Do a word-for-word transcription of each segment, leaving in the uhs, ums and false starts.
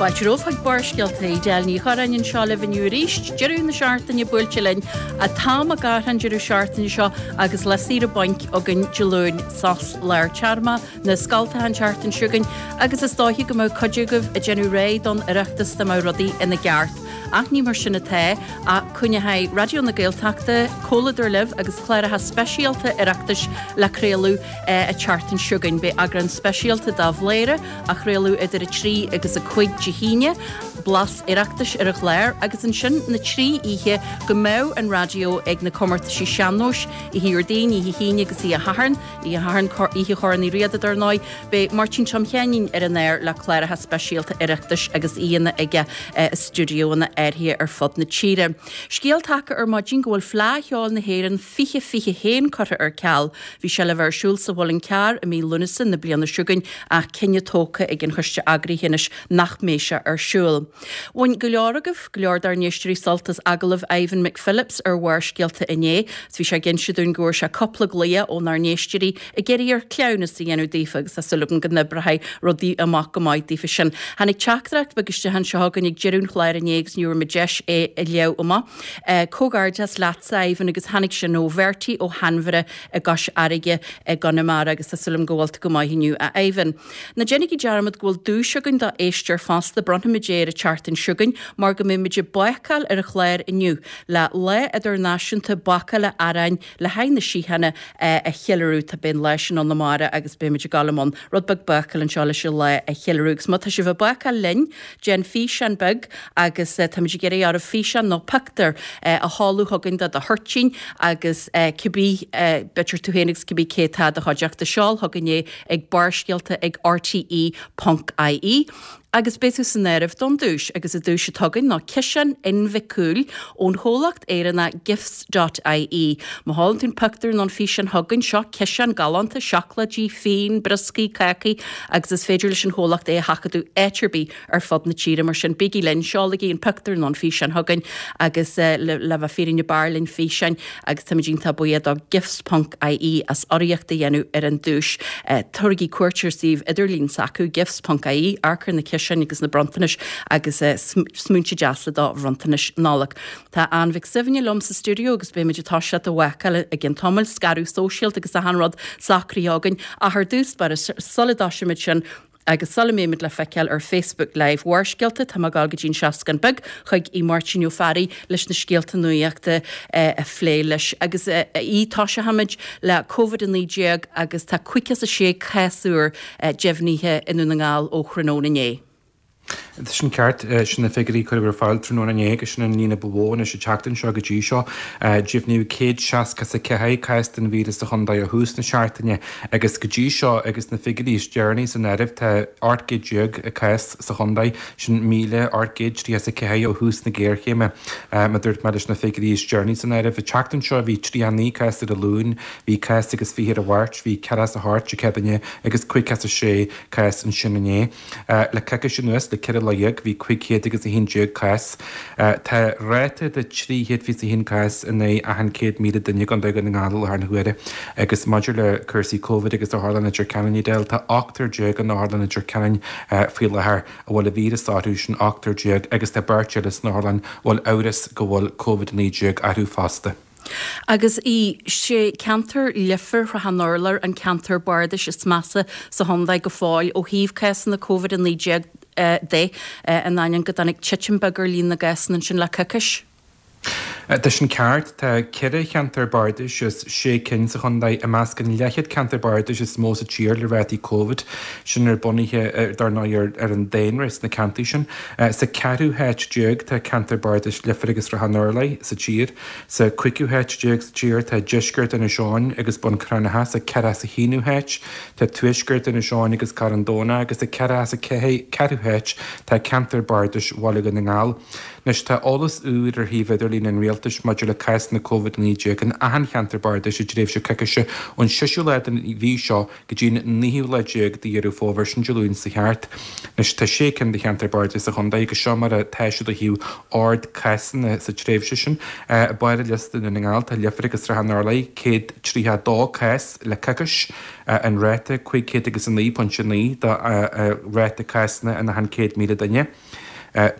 Fáilte romhaibh chuig Barrscéalta Edel Ní Churráin anseo libh inniu arís, deireadh na seachtaine buailte linn an t-am ag athrú an deireadh seachtaine seo agus lá saoire bainc againn Dé Luain sos lár téarma na scoltacha an tseachtain seo chugainn agus is dóiche go mbeadh cuid agaibh ag déanamh réidh don Oireachtas dá mbeadh rudaí ina gceart. Ach ní mar sin atá ach coinneoidh Raidió na Gaeltachta comhluadar libh agus cláracha speisialta Oireachtais le craoladh an tseachtain seo chugainn. Beidh eagrán speisialta de Bhléire á chraoladh idir a trí agus a cúig Dé hAoine, blas Oireachtais ar an chlár agus ansin na trí oíche go mbeidh an raidió ag na comórtaisí sean-nóis Oíche Dhéardaoin, Oíche hAoine agus Oíche Shathairn, Oíche Shathairn Oíche Chorn Uí Riada dar ndóigh, beidh Máirtín Tom Sheáinín ar an aer le cláracha speisialta Oireachtais agus aíonna aige i stiúideoanna áirithe ar fud na tíre. Scéal tagtha ar maidin go bhfuil Fleadh Cheoil na hÉireann fiche fiche haon curtha ar ceal. Bhí sé le bheith ar siúl sa Mhuileann Cearr i mí Lúnasa na bliana seo chugainn ach cinneadh tógtha ag an choiste eagraithe anois nach mbeidh sé ar siúl. Bhain go leor agaibh, go leor dár n-éisteoirí sult as agallamh Ivan McPhillips ar Bharrscéalta inné. Bhí sé ag inse dúinn go bhfuair sé cúpla glao ónár n-éisteoirí ag iarraidh air cleamhnas a dhéanamh daofa agus tá súil agam go n-oibreoidh rudaí amach go maith daofa sin. Tháinig teachtaireacht beag isteach anseo chugainn ag deireadh an chláir inné agus ní raibh mé deis é a léamh amach. Comhghairdeas leatsa Ivan agus tháinig sin ó Bhertie ó Hainmhire i gCois Fharraige i gConamara agus tá súil agam go bhfuil tú go maith inniu a Ivan. Ná déanaigí dearmad go bhfuil duais againn do éisteoir fosta bronnfaimid é ar an tseachtain seo chugainn mar go mbeimid ag bácáil ar an chlár inniu le Lá Idirnáisiúnta Bácála Aráin le haghaidh na síochána a cheiliúradh tá beidh an lá sin ann amárach agus beimid ag dul i mbun rud beag bácáil anseo leis an lá a cheiliúradh agus má tá sibh ag bácáil linn déan físeán beag agus táimid ag iarraidh oraibh físeán nó pictiúr a sheoladh chugainn de do thoirtín agus cibé b'fhéidir tú féin agus cibé cé atá i do chuideachta seol chugainn é ag barrscéalta ag rte ponc ie agus beidh tú san áireamh don duais agus an duais atá againn ná ciseán inbhicúil ón chomhlacht Éireannach gifts dot ie. Má sheolann tú an pictiúr nó an físeán chugainn seo ciseán galánta, seacláidí, fíon, brioscaí, cácaí agus is féidir leis an chomhlacht é a sheachadadh áit ar bith ar fud na tíre mar sin bígí linn, seolaigí an pictiúr nó an físeán chugainn agus le le bheith fírinne b'fhearr linn físeáin agus táimid iontach buíoch do gifts ponc ie as urraíocht a dhéanamh ar an duais. Tabhairigí cuairt ar suíomh idirlín s'acu gifts ponc ie, amharc ar na ciseáin agus na bronntanais agus smaointe deasa do bhronntanais Nollag. Tá Ann Mhic Suibhne liom sa stiúideo agus beimid ag toiseacht ag bácáil i gcionn tamaill, scaradh sóisialta agus achan rud socraithe againn ach ar dtús báire sula dtoisímid sin agus sula mbeimid le feiceáil ar Facebook Live Bharrscéalta, tá mé ag dul go dtí an seascann beag chuig Aodh Máirtín Ó Fearraigh leis na scéalta nuachta a phlé leis. Agus a Aoidh, toiseochaimid le Covid a naoi déag agus tá caoga is a sé cás úr deimhnithe i nDún na nGall ó thráthnóna inné. Tá sin ceart, sin na figiúirí a cuireadh ar fáil tráthnóna inné agus sin an líon ba mhó anois an tseachtain seo go dtí seo. Deimhníodh céad seasca is a ceathair cás den víreas sa chontae ó thús na seachtaine agus go dtí seo agus na figiúirí is deireanaí san áireamh tá ocht gcéad déag cás sa chontae, sin míle ocht gcéad tríocha is a ceathair ó thús na géarchéime. Mar a dúirt mé leis na figiúirí is deireanaí san áireamh, an tseachtain seo bhí tríocha naoi cás ar an Luan, bhí cás agus fiche ar an Mháirt, bhí ceathracha is a hocht Dé Céadaoine agus caoga is a sé cás ansin inné. Le coicís anuas, le ceithre lá dhéag, bhí cúig chéad agus a haon déag cás. Tá ráta de trí chéad fiche a haon cás in aghaidh achan céad míle duine i gContae Dhún na nGall i láthair na huaire. Agus maidir le cúrsaí Covid agus Otharlann Leitir Ceanainn, Edel, tá ochtar déag in Otharlann Leitir Ceanainn faoi láthair a bhfuil an víreas orthu, sin ochtar déag, agus tá beirt eile san otharlann a bhfuil amhras go bhfuil Covid a naoi déag orthu fosta. Agus sé ceantar Leifear Shrath an Urláir an ceantar bardais is measa sa chontae go fóill ó thaobh cásanna Covid a naoi déag de, in ainneoin go dtáinig titim beag ar líon na gcásanna ansin le coicís. Tá sin ceart. Tá ceithre cheantar bardais as sé cinn sa chontae i measc an leathchéad ceantar bardais is mó sa tír le rátaí Covid, sin ar bunaithe dar ndóigh ar an daonra sna ceantair sin. Sa ceathrú háit déag tá ceantar bardais Leifear agus Srath an Urláir sa tír. Sa cúigiú háit déag sa tír tá deisceart Inis Eoghain agus Bun Cranncha, sa ceathracha is a haonú háit tá tuaisceart Inis Eoghain agus Carn Domhnach agus sa ceathracha is a ceathrú háit tá ceantar bardais Bhaile Dhún na nGall. Anois tá eolas úr ar shuíomh idirlín treoirlíne an Rialtais maidir le cásanna Covid a naoi déag in achan cheantar bardais i dtréimhse coicíse ón seisiú lá den mhí seo go dtí an naoú lá déag de Dheireadh Fómhair, sin Dé Luain seo thart. Anois tá sé cinn de cheantar bardais sa chontae agus seo mar atá siad ó thaobh ard cásanna sa tréimhse sin. Barr an liosta i nDún na nGall tá Leifear agus Srath an Orlaigh, céad tríocha a dó cás le coicís, an ráta cúig chéad agus a naoi pointe naoi de ráta cásanna in achan céad míle duine.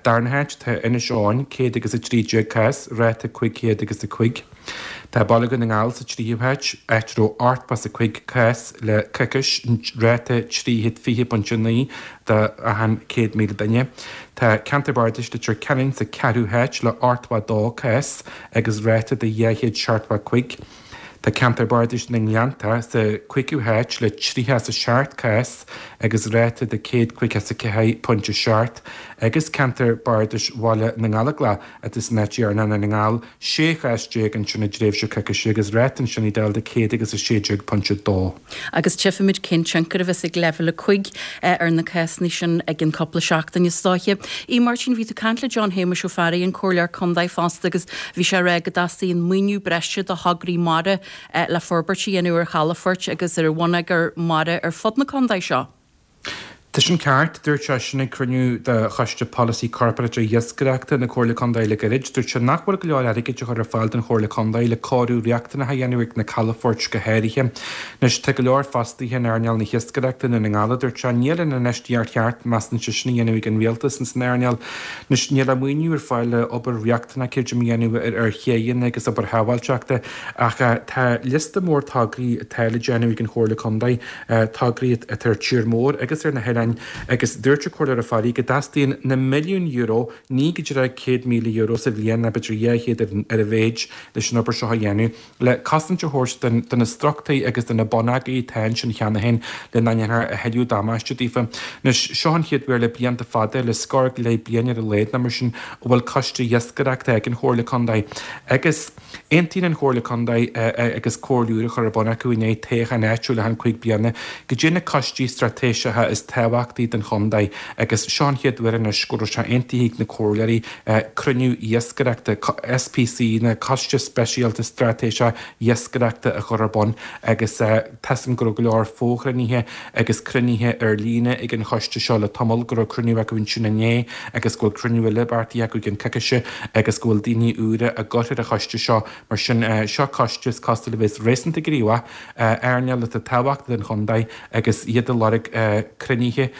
Darna háit tá Inis Eoghain, céad agus a trí déag cás, ráta cúig chéad agus a cúig. Tá Baile Dhún na nGall sa tríú háit, áit a raibh ochtó is a cúig cás le coicís, ráta trí chéad fiche pointe naoi de achan céad míle duine. Tá Ceantar Bardais Leitir Ceanainn sa cheathrú háit le ochtó a dó cás agus ráta de dhá chéad seachtó a cúig. Tá Ceantar Bardais na nGleannta sa chúigiú háit le tríocha is a seacht cás agus ráta de céad caoga is a ceathair pointe seacht agus Ceantar Bardais Bhaile na nGallóglach atá san áit dheireanach i nDún na nGall, sé chás déag ansin i dtréimhse coicíse agus ráta ansin ag dul de céad agus a sé déag pointe dó. Agus tchífimid cén tionchar a bheas ag leibhéal a cúig ar na cásanna sin i gceann cúpla seachtain is dóiche. A Mháirtín, bhí tú ag caint le John Shéamuis Ó Fearraigh, an Comhairleoir Contae fosta agus bhí sé ag rá go dteastaíonn maoiniú breise do thograí mara le forbairt a dhéanamh ar chalafoirt agus ar bhonneagar mara ar fud na contae seo. Tá sin ceart, dúirt sé sin ag cruinniú de Choiste Polasaí Corparáideach Iascaireachta na Comhairle Contae le gairid. Dúirt sé nach bhfuil go leor airgid á chur ar fáil don Chomhairle Contae le cóiriú riachtanach a dhéanamh ag na calafoirt go háirithe. Anois tá go leor fostaithe in earnáil na hiascaireachta i nDún na nGall, a dúirt sé. Níl an infheistíocht cheart, measann seisean, á dhéanamh ag an rialtas ins an earnáil. Anois níl aon mhaoiniú ar fáil le obair riachtanach creidim a dhéanamh ar chéanna agus obair shábháilteachta ach tá liosta mór tograí atá le déanamh ag an Chomhairle Contae, tograí atá ar tír mór agus ar na hoileáin agus dúirt an Comhairleoir Ó Fearraigh go dteastaíonn na milliúin euro, ní go díreach céad míle euro sa bhliain ná b'fhéidir dhá chéad ar a mhéid leis an obair seo a dhéanamh, le cosaint a thabhairt do na struchtúir agus do na bonneagair atá ansin cheana féin le nach ndéanfar a thuilleadh damáiste daofa. Anois, seo an chéad uair le blianta fada, le scór go leith bliain ar a laghad nó mar sin, a bhfuil coiste iascaireachta ag an Chomhairle Contae agus aontaíonn an Chomhairle Contae agus comhairle úr a chur ar bun acu i ndiaidh toghchán áitiúil achan cúig bliana go dtí na coistí straitéiseacha is tábhachtaí don chontae agus seo an chéad uair anois go raibh sé aontaithe ag na comhairleoirí cruinniú iascaireachta, S P C, na Coiste Speisialta Straitéiseach Iascaireachta a chur ar bun agus tá a fhios agam go raibh go leor fo-chruinnithe agus cruinnithe ar líne ag an choiste seo le tamall, go raibh cruinniú acu ansin inné agus go bhfuil cruinniú eile beartaithe acu i gceann coicíse agus go bhfuil daoine úra á gcur ar an choiste seo. Mar sin, seo coiste is cosúil a bheas réasúnta gníomhach, earnáil atá tábhachtach don chontae agus iad ag lorg cruinnithe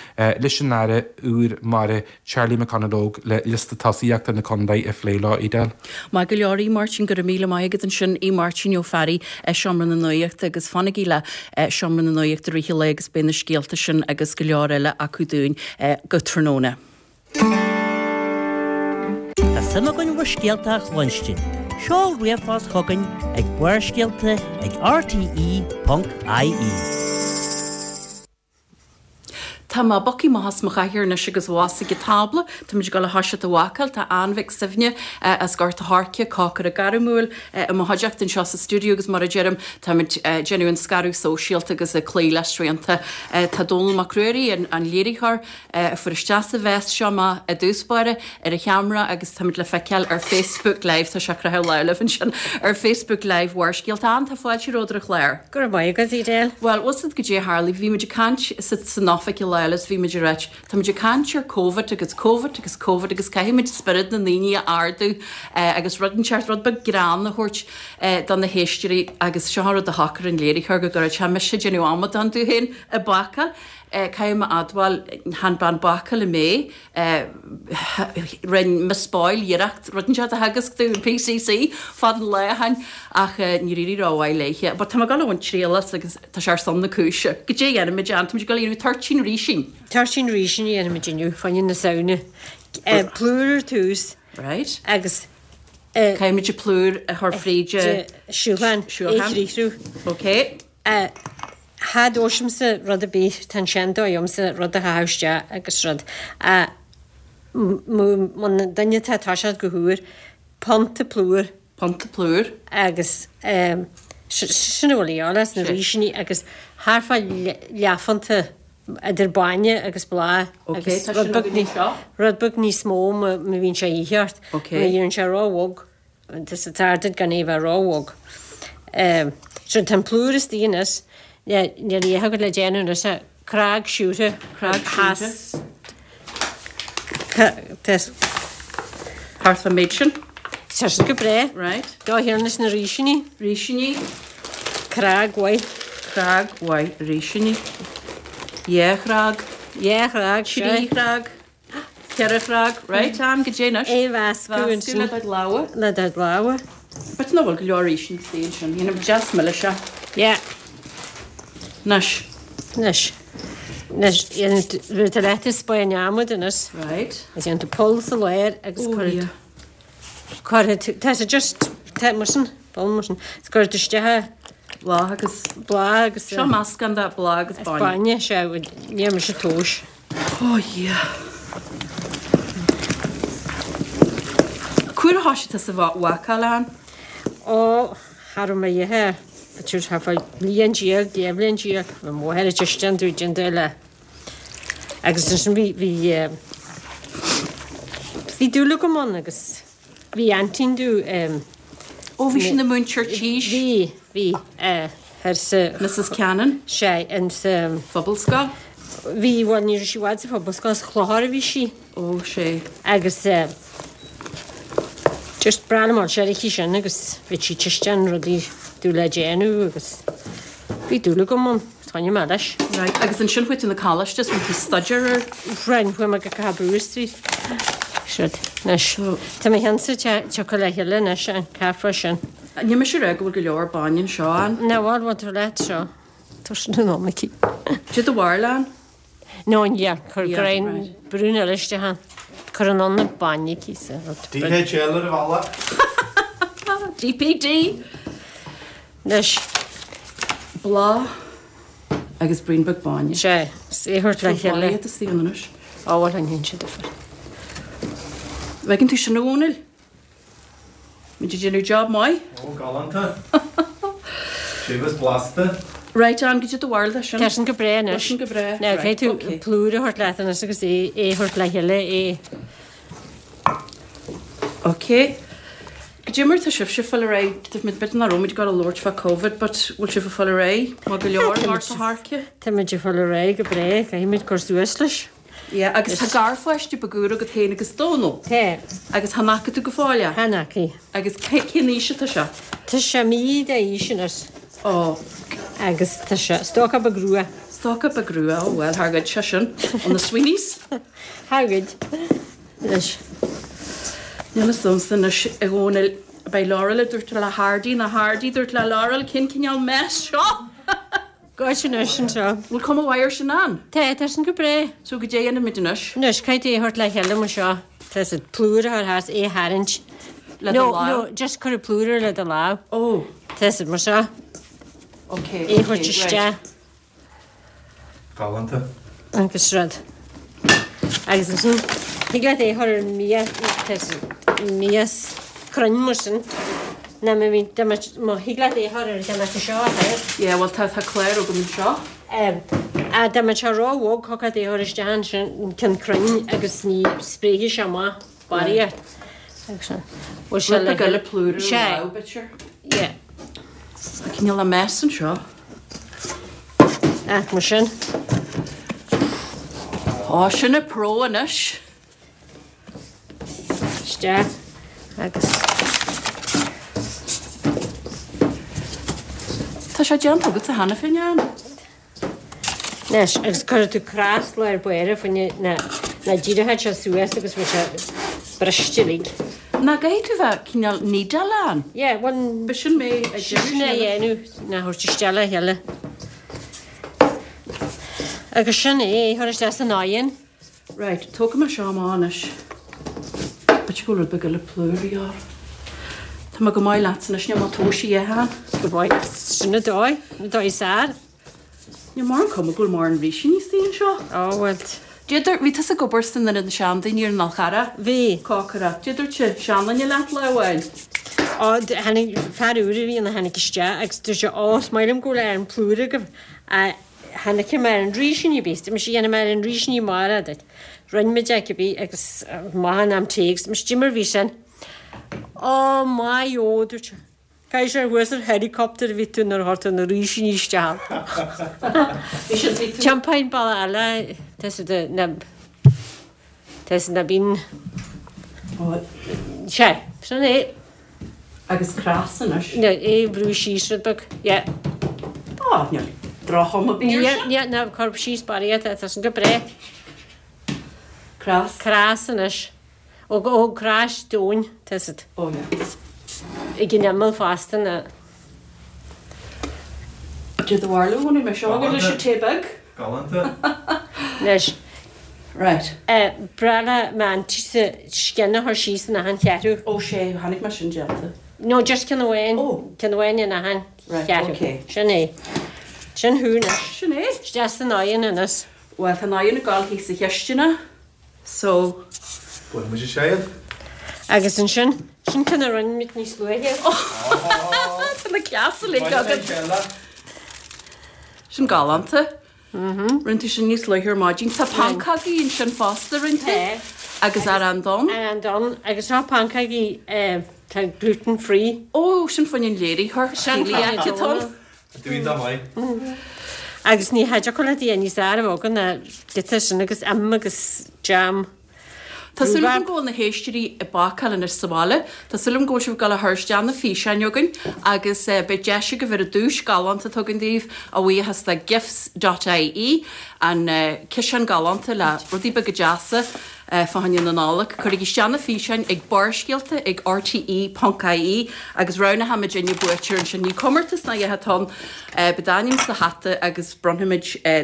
leis an Aire úr Mara Charlie McConalogue le liosta tosaíochta na contae a phlé leo, Edel. Maith go leor, a Mháirtín, go raibh míle maith agat ansin, a Mháirtín Ó Fearraigh, Seomra na Nuachta agus fanaigí le Seomra na Nuachta i rith an lae agus beidh na scéalta sin agus go leor eile acu dúinn go tráthnóna. Tá suim againn bhur scéalta a chluinstin. Seol ríomhphost chugainn ag Barrscéalta ag R T E ponc I E. Tá mé bogtha amach as mo chathaoir anois agus abhus ag an tábla. Táimid ag dul a thoiseacht a bhácáil. Tá Ann Mhic Suibhne as Gort a' Choirce, cócaire gairmiúil, i mo chuideachta anseo sa stiúideo agus mar a deirim, táimid ag déanamh an scaradh sóisialta agus ag cloí le srianta. Tá Dónall Mac Ruairí, an léiritheoir, a fuair isteach sa mess seo mé i dtús báire ar an cheamara agus táimid le feiceáil ar Facebook Live, tá sé ag croitheadh lámh libh ansin, ar Facebook Live Bharrscéalta. Ann, tá fáilte romhat ar an chlár. Go raibh maith agat, Edel. Bhuel, bhfuil a fhios agat goidé a tharla, bhí muid ag caint san oifig an lá eile is bhí muid ag ráit, tá muid ag caint ar Covid agus Covid agus Covid agus caithfidh muid spiorad na ndaoine a ardú agus rud inteacht, rud beag greann a thabhairt do na héisteoirí agus seo an rud a shocair an léiritheoir go gcuirfeadh sé mise ag déanamh amadán domh féin ag bácáil. Caithfidh mé a admháil, chan bean bácála mé, rinne Miss Boyle iarracht rud inteacht a theagasc domh in P C C fad an lá ó shin ach níor éirigh rómhaith léithe. But tá mé ag dul a bhaint triail as agus tá sé ar son na cúise. Goidé a dhéanfaimid, Ann? Táimid ag dul a dhéanamh toirtín rísín. Toirtín rísín a dhéanfaimid inniu, fá choinne na Samhna. Plúr ar tús. Right. Agus Caithfimid an plúr a chur fríd siúchan. Siúchan. É chriathrú. Ok. Cha dtomhaisimse rud ar bith, tá an seandóigh agamsa rud a chaitheamh isteach agus rud. Muna duine atá ag toiseacht go húr, punta plúir. Punta plúir. Agus sin a bhfuil a dhíobháil as na rísíní agus thart fá leathphunta idir bainne agus bláth agus rud beag rud beag níos mó má bhíonn sé a dhíth ort. Ok. Má bhíonn sé róbhog. Tá sé tar duit gan é bheith róbhog. So tá an plúr istigh anois, níl a dhath agat le déanamh anois ach cnag siúcra. Cnag siúcra. Thart fán méid sin. Tá sin go breá. Right. Dá thiarnas na rísíní. Rísíní. Cnag mhaith. Cnag mhaith rísíní. Dhá chnag. Dhá chnag, Trí chnag. Ceithre chnag. Right, am go dté anois. É mheascadh ansin. Le do lámha. Le do lámha. But nach bhfuil go leor rísíní istigh ansin. Dhéanamh deas milis é. Yeah. Anois. Anois. Anois, rud eile is bain neamhaird anois. Right. Is déanann tú poll sa lár agus cuirfidh cuirfidh tú, tá sé just, tá mar sin, poll mar sin, is cuirfidh tú isteach Bláth agus. Bláth agus. Seo meascán de bláth agus bainne. Bainne, sea, níor mise tomhais. Oh yeah. Cá huair a thoisigh tusa a bhácáil, Ann? Ó, cha raibh mé a dhath, b'fhéidir thart fá bhliain déag, dhá bhliain déag, bhí mo mháthair ag tuiscint dúinn déanamh eile. Agus ansin bhí, bhí, bhí dúil agam ann agus bhí aintín domh, Ó, bhí sí ina múinteoir tís. Bhí, bhí, thoir sa. Mrs Cannon? Sea, in sa. Phobalscoil? Bhí, bhuel, ní raibh sí i bhfad sa Phobalscoil, sa Chlochar a bhí sí. Ó, sea. Agus just breá liom an aici sin agus bhí sí tuiscint rudaí dúil le déanamh agus bhí dúil agam ann. Choinnigh mé leis. Right, agus ansin chuaigh tú 'na coláiste is rinne tú staidéar ar. Rinne, chuaigh mé go Cathal Brugha Street. Siúd, anois. Tá mo cheannsa tioctha le chéile anois, an ceathrar sin. Níl mise ag rá go bhfuil go leor bainne anseo, Ann. Ná bhfuil, bhfuil tú leat seo. Tá sin in am aici. Cad é do bharúil, Ann? No, yeah, cuir greim brún eile isteach ann. Cuir anonn an bainne aici sa rud. DHL ar an bhealach. DPD! Anois. Bláth agus braon beag bainne. Sea, is é a thabhairt le chéile. Tá bolaí ann anois. Á bhuel, an ndéanann sé difear. Bhfeiceann tú sin a Dhónaill? Muid ag déanamh job maith. Ó, galánta. Séimh is blasta. Right, Ann, cad é do bharúil de sin? Tá sin go breá anois. Tá sin go breá. Now, caithfidh tú plúr a thabhairt leat anois agus é a thabhairt le chéile, é. Ok. Cad é mar tá sibhse ag fáil ar aghaidh, b'fhéidir nach raibh muid ag gabháil a labhairt fá Covid but bhfuil sibh ag fáil ar aghaidh maith go leor mar tá thairce? Tá muid ag fáil ar aghaidh go breá, caithfidh muid cur suas leis. Yeah, agus tá garpháiste beag úr agat féin agus Dónal. Tá. Agus chan fhaca tú go fóill é? Chan fhaca. Agus cén aois atá sé? Tá sé mí d'aois anois. Ó. Agus tá sé stócach beag rua. Stócach beag rua, ó bhuel, thar goid sé sin ó na Sweeneys. Thar goid. Anois. Níl fhios a'msa anois a Dhónaill, beidh Laurel ag dúirt le Hardy nó Hardy ag dúirt le Laurel cén cineál mess seo? Goid anois anseo. Bhfuil cuma mhaith air sin Ann? Tá, tá sin go breá. So goidé a dhéanfaimid anois? Anois, caithfidh tú é a thabhairt le chéile mar seo. Tá an plúr a chur thart, é a tharraingt. Le do No, lámh? no, just cuir an plúr air le do lámh. Ó. Tá siad mar seo. Ok, É a ok, thabhairt right. isteach. Galánta. Agus rud. Agus ansin, thig leat é a chur ar mias, mias cruinn mar sin. Ná má bhí, dá mbeadh, má thig leat é a chur ar dá mbeadh seo a chur. Yeah, bhuel tá, tá clár agam anseo. Em, a dá mbeadh sé ró-bhog, thiocfadh leat é a chur isteach ansin, an ceann cruinn agus ní spréifidh sé amach barraíocht. Agus sin. Bhfuil sé Rud le beag eile plúr ar an Sea. lámh, b'fhéidir. Yeah. Tá cineál a mess anseo. Ach mar sin. Ó, sin a pro anois. Isteach agus. Tá sé déanta agatsa cheana féin, Ann. Anois, agus cuirfidh tú cros lár báire faoin na na díreoidh sé suas agus bheidh sé briste uilig. Ná caithfidh tú bheith cineál needle ann. Yeah, bhuel, B'shin mé a sin a dhéanamh ná thabhairt isteach le chéile. Agus sin é, a chur isteach san oigheann. Right, tógfaidh mé seo amach anois. B'fhéidir go bhfuil rud beag eile plúr a dhíth orm. Tá mé go maith leatsa anois, níl mé tomhais a dhéanamh ann. Go maith. Sin an dóigh, an dóigh is fearr. Níl mórán cuma go bhfuil mórán rísíní istigh anseo. Ó, bhuel. Cad é dúirt, bhí tusa ag obair san ionad na seandaoine ar an Fhál Charrach. Bhí. Cócaireacht. Cad é dúirt seanduine leat lá amháin. Ó, tháinig fear úr a bhí ann a tháinig isteach agus dúirt sé, Ó, is maith liom go bhfuil arán plúir agaibh. Chan fhaca mé an rísíní ar bith, dúirt mise, dhéanfaidh mé arán rísíní amárach duit. Rinne muid é cibé agus maith an am tae agus mise, cad é mar bhí sin. Ó my ó, dúirt sé. Caithfidh sé thuas ar helicopter a bhí tú nuair a chuir tú na rísíní isteach. Bhí siad bhí tú. Champagne balla eile, tá siad na tá siad na bíonn Sé, sin é. Agus cras anois. No, é brú síos rud beag, yeah. Á, níl droch-chuma ar bith air sin. Ní, ní, cuir síos barraíocht, tá sin go breá. Cras. Cras anois. Ó, ó cras dúinn, tá siad. Ó, yeah. Ag an imeall fosta na. Did the bharlú bhfuil mé seo go leis an tae beag? Galánta. Anois. Right. Breá le m'aintíse scian a chur síos in achan cheathrú. Ó sé, tháinig mé sin déanta. No, just ceann amháin. Ó. Ceann amháin in achan Right, cheathrú. okay. Sin é. Sin thú anois. Sin é. Isteach san oigheann anois. Bhuel, tá an oigheann ag dul thíos sa chisteanach, so. Bhuel, muid ag séid. Agus ansin, sin ceann a rinne muid níos luaithe. Tá na cleasa uilig agat. Sin galánta. Rinne tú sin níos luaithe ar maidin. Tá pancógaí ansin fosta, rinne tú? Tá. Agus arán donn. Arán donn. Agus seo pancógaí tá gluten free. Ó, sin fá choinne an léiritheoir. Sin fá choinne Celiac atá ann. Dúinn dá maith. Agus ní thiocfadh leat é níos fearr a bheith ná giota sin agus im agus jam. Tá súil agam go bhfuil na héisteoirí ag bácáil anois sa bhaile. Tá súil agam go bhfuil sibh ag dul a chur isteach na físeáin chugainn agus beidh deis agaibh ar an duais galánta atá againn daoibh, a bhuíochas le gifts dot ie, an ciseán galánta le rudaí beaga deasa fá choinne na Nollag. Cuirigí isteach na físeáin ag Barrscéalta ag rte ponc ie agus roghnóimid duine buaiteoir ansin. Ní comórtas ná a dhath atá ann, beidh d'ainm sa hata agus bronnfaimid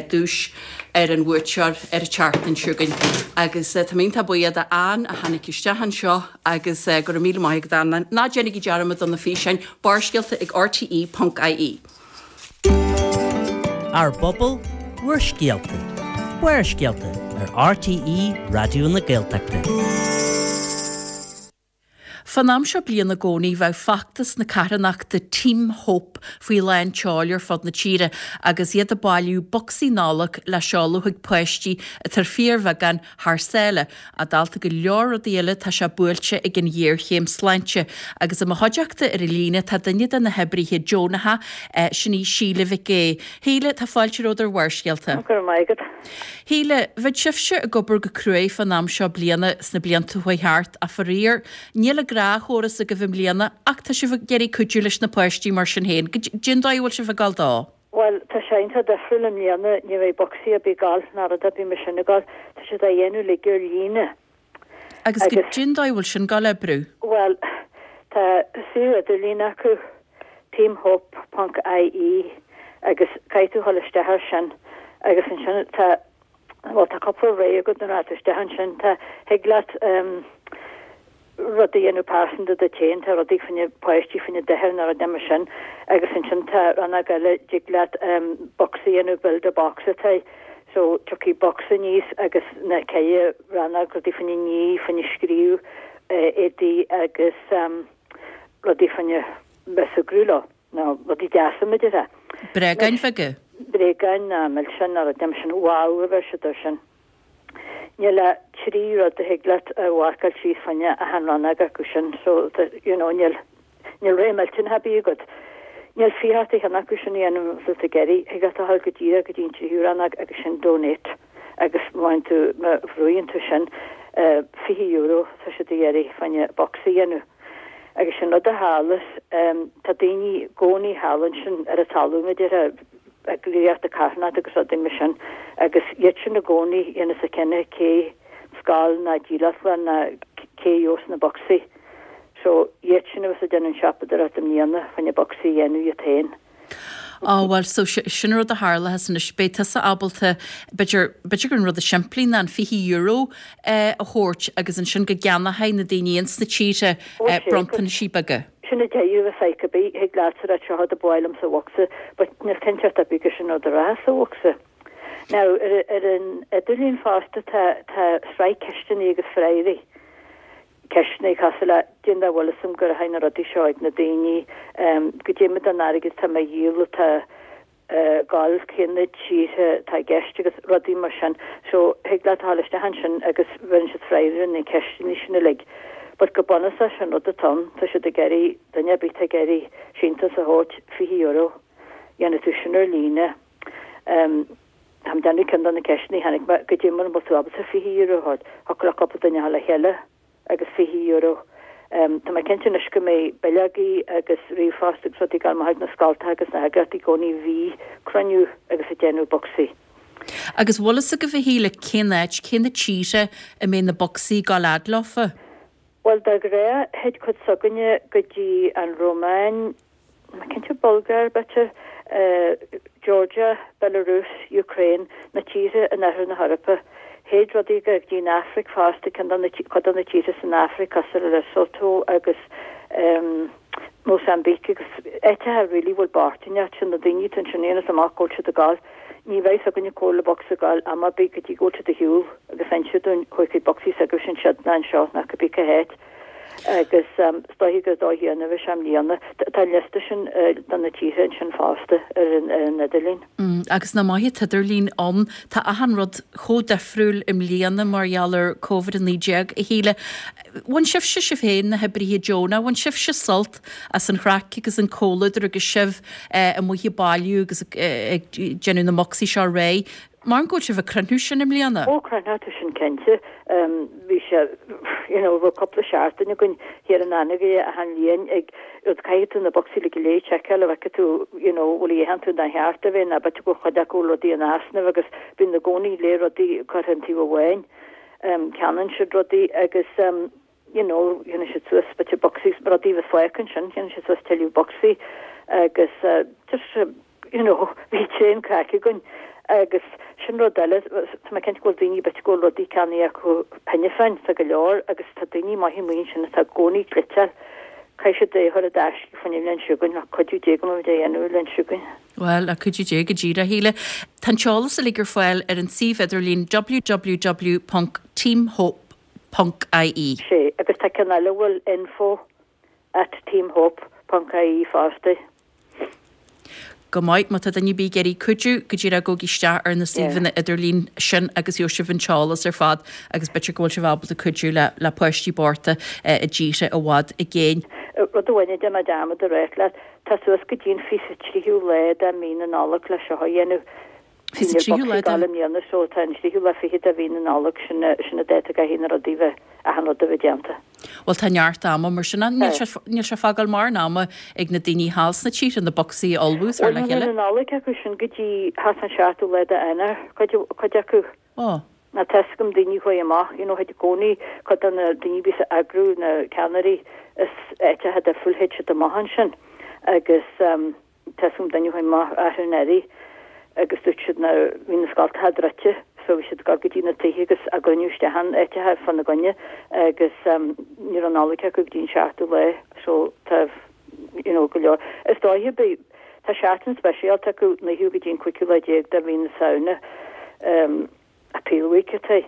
duais ar an bhuaiteoir ar an tseachtain seo chugainn. Agus tá mé iontach buíoch d'Ann a tháinig isteach anseo agus go raibh míle maith agat Ann. Ná déanaigí dearmad do na físeáin, Barrscéalta ag rte ponc ie. Ár bpobal, bhur scéalta. Barrscéalta ar RTÉ Raidió na Gaeltachta. Fán am seo bliana i gcónaí bheadh feachtas na carthanachta Team Hope faoi lán tseoil ar fud na tíre agus iad ag bailiú bocsaí Nollag le seoladh chuig páistí atá ar fíorbheagán thar sáile. Ach dálta go leor rudaí eile tá sé buailte ag an ghéarchéim sláinte. Agus i mo chuideachta ar an líne tá duine de na hoibrithe deonacha, sin í Síle Mhic Aoidh. Shíle, tá fáilte romhat ar Bharrscéalta. Go raibh maith agat. Shíle, bheadh sibhse ag obair go cruaidh fán am seo bliana sna blianta chuaigh thart ach faraor, níl an gnáthchóras agaibh i mbliana ach tá sibh ag iarraidh cuidiú leis na páistí mar sin féin. Cén dóigh a bhfuil sibh ag gabháil dó? Bhuel, tá sé iontach difriúil i mbliana, ní bheidh bocsaí ar bith ag gabháil ná rud ar bith mar sin ag gabháil, tá siad á dhéanamh uilig ar líne. Agus cén dóigh a bhfuil sin ag gabháil a oibriú? Bhuel, tá suíomh idirlín acu, teamhope ponc ie, agus caithfidh tú dhul isteach air sin agus ansin tá, bhuel tá cúpla rogha agat nuair atá tú isteach ansin, tá, thig leat rud a dhéanamh pearsanta duit féin, tá rudaí fá choinne páistí, fá choinne dinnéar nó rud mar sin agus ansin tá rannóg eile, dtig leat bocsa a dhéanamh, build a box atá, so tiocfaidh bocsa aníos agus na ceithre rannóg, rudaí fá choinne ní, fá choinne scríobh, éadaí agus rudaí fá choinne bheith súgradh leo, nó rudaí deasa mar a déarfá. Bréagáin bheaga? Bréagáin ná milseáin nó rud mar sin, wow a bheir siad air sin. Níl ach trí rud a thig leat a mharcáil síos fá choinne achan rannóg acu sin so you know níl níl rogha millteanach ar bith agat. Níl fiche ort aon cheann acu sin a dhéanamh má tá tú ag iarraidh, thig leat a dhul go díreach go dtí an tríú rannóg agus sin donate agus má fhaigheann tú má bhrúíonn tú sin fiche euro tá siad ag iarraidh fá choinne bocsa a dhéanamh. Agus sin rud a tharlas, tá daoine i gcónaí thall ansin ar an talamh mar a déarfá, eagraíochtaí carthanachta agus rudaí mar sin agus iad sin i gcónaí a dhéanas an cinneadh cé scoil ná díleachtlann ná cé a gheobhas na bocsaí. So iad sin a bheas ag déanamh an siopadóireacht i mbliana fá choinne bocsaí a dhéanamh iad féin. Á bhuel, so sin rud a tharlaíos anois, beidh tusa ábalta, b'fhéidir, b'fhéidir gur an rud is simplí ná an fiche euro a thabhairt agus ansin go gceannóidh na daoine ins na tíortha bronntanaisí beaga. Sin a deireadh a feic ar bith, thig leatsa rá seo rud ba mhaith liom sa bhocsa, but níl cinnteacht ar bith gur sin rud a rachas sa bhocsa. Now, ar, ar an idirlíon fosta tá, tá sraith ceisteanna agus freagraí. Ceisteanna cosúil le, cén dóigh a bhfuil fhios a'm go rachaidh na rudaí seo ag na daoine, um, goidé mar den airgead atá mé a dhíol atá ag gabháil, cé na tíortha atá i gceist agus rudaí mar sin. So, thig leat a dhul isteach ansin agus bheireann siad freagra ar na ceisteanna sin uilig. But go bunúsach sin rud atá ann, tá siad ag iarraidh, duine ar bith atá ag iarraidh síntiús a thabhairt, fiche euro, dhéanfaidh tú sin ar líne. Táim ag déanamh ceann de na ceisteanna a tháinig mé, goidé mar an bhfuil tú ábalta fiche euro a thabhairt, thiocfadh le cúpla duine a dhul le chéile agus fiche euro. Tá mé cinnte anois go mbeidh bileogaí agus ríomhphost agus rudaí ag dul amach chuig na scoltacha agus na heagraíochtaí i gcónaí a bhí ag cruinniú agus ag déanamh bocsaí. Agus bhfuil fhios agaibh a Shíle cén áit, cé na tíortha a mbeidh na bocsaí ag dul fhad leofa? Bhuel, de ghnáth, théid cuid s'againne go dtí an Rómáin, níl mé cinnte, Bulgáir, b'fhéidir, Georgia, Belarus, Ukraine, na tíortha in oirthear na hEorpa. Théid rudaí go dtí an Afraic fosta, ceann de na, cuid de na tíortha san Afraic cosúil le Lesotho agus Mozambique agus áiteacha really bhfuil bochtaineacht, sin na daoine atá ansin, aon amach go bhfuil siad ag gabháil. Ní bheidh fhios againne cá bhfuil na bocsaí ag gabháil am ar bith go dtí go bhfuil siad ar shiúl agus inse dúinn chuaigh chuig bocsaí s'agaibhse ansiúd ná anseo ná cibé cá háit. Agus is dóiche gur dóigh chéanna a bheidh sé i mbliana. Tá an liosta sin de na tíortha ansin fosta ar an ar an idirlíon. Agus nach maith an t-idirlíon ann. Tá achan rud chomh difriúil i mbliana mar gheall ar Covid a naoi déag, a Shíle. Bhain sibhse sibh féin, na hoibrithe deonacha, bhain sibhse sult as an chraic agus an comhluadar agus sibh amuigh ag bailiú agus ag déanamh na mbocsaí seo réidh. Mar go bhfuil sibh ag cruinniú sin i mbliana? Ó, cruinneoidh tú sin cinnte. Bhí sé, you know, bhí cúpla seachtain againn thiar in Anagaire achan bhliain ag rud, caithfidh tú na bocsaí uilig go léir a sheiceáil a bhfeicfidh tú, you know, bhfuil a dhéanann tú ina cheart a bheith ná b'fhéidir go bhfuil cuid acu rudaí in easnamh agus bíonn i gcónaí léir rudaí curtha an taobh amháin. Ceannaíonn siad rudaí agus you know, dhéanann siad suas b'fhéidir bocsaí, rudaí a bheas fágtha ansin, dhéanann siad suas tuilleadh bocsaí agus just, you know, bhí tréan craic againn agus sin rud eile, tá mé cinnte go bhfuil daoine b'fhéidir go bhfuil rudaí ceannaithe acu cheana féin, tá go leor agus tá daoine maithe amuigh ansin atá i gcónaí ag cliceáil, caithfidh siad é a chur i dtaisce fá choinne an bhliain seo chugainn, le cuidiú Dé go mbeimid á dhéanamh an bhliain seo chugainn. Bhuel, le cuidiú Dé go díreach, a Shíle. Tá an t-eolas uilig ar fáil ar an suíomh idirlín www ponc teamhope ponc ie. Sea, agus tá ceann eile a bhfuil info at teamhope ponc ie fosta. Go maith, má tá duine ar bith ag iarraidh cuidiú, go díreach gabhaigí isteach ar na suíomhanna idirlín sin agus gheobhaidh sibh an t-eolas ar fad agus b'fhéidir go bhfuil sibh ábalta cuidiú le le páistí bochta i dtíortha i bhfad i gcéin. Rud amháin a dhein mé dearmad a ráit leat, tá suas go dtí an fiche tríú lá de mhí na Nollag le seo a dhéanamh. Fiche tríú lá de. I mbliana so tá an tríú lá fichead de mhí na Nollag, sin sin an dáta a gcaithfidh na rudaí bheith, achan rud a bheith déanta. Bhuel tá neart ama mar sin ann, níl sé níl sé fágáil mórán ama ag na daoine thall sna tíortha na bocsaí a ullmhú is Bhuel le níl chéile. na Nollaig acu sin go dtí thart an seachtú lá de Eanáir, cuid cuid acu. Ó. Ná tá fhios agam daoine a chuaigh amach, you know, théid i gcónaí cuid de na daoine a bhíos ag eagrú na ceannairí is áiteacha difriúil théid siad amach ansin agus ehm tá fhios agam duine a chuaigh amach arú anuraidh agus dúirt siad ná bhí na scoltacha druidte so bhí siad ag dul go dtí na tithe agus á gcruinniú isteach in áiteacha fána gcoinne agus ní raibh Nollaig acu go dtí an seachtú lá so tá you know go leor. Is dóiche beidh tá seachtain speisialta acu naoú go dtí an cúigiú lá déag de mhí na Samhna um Appeal Week atá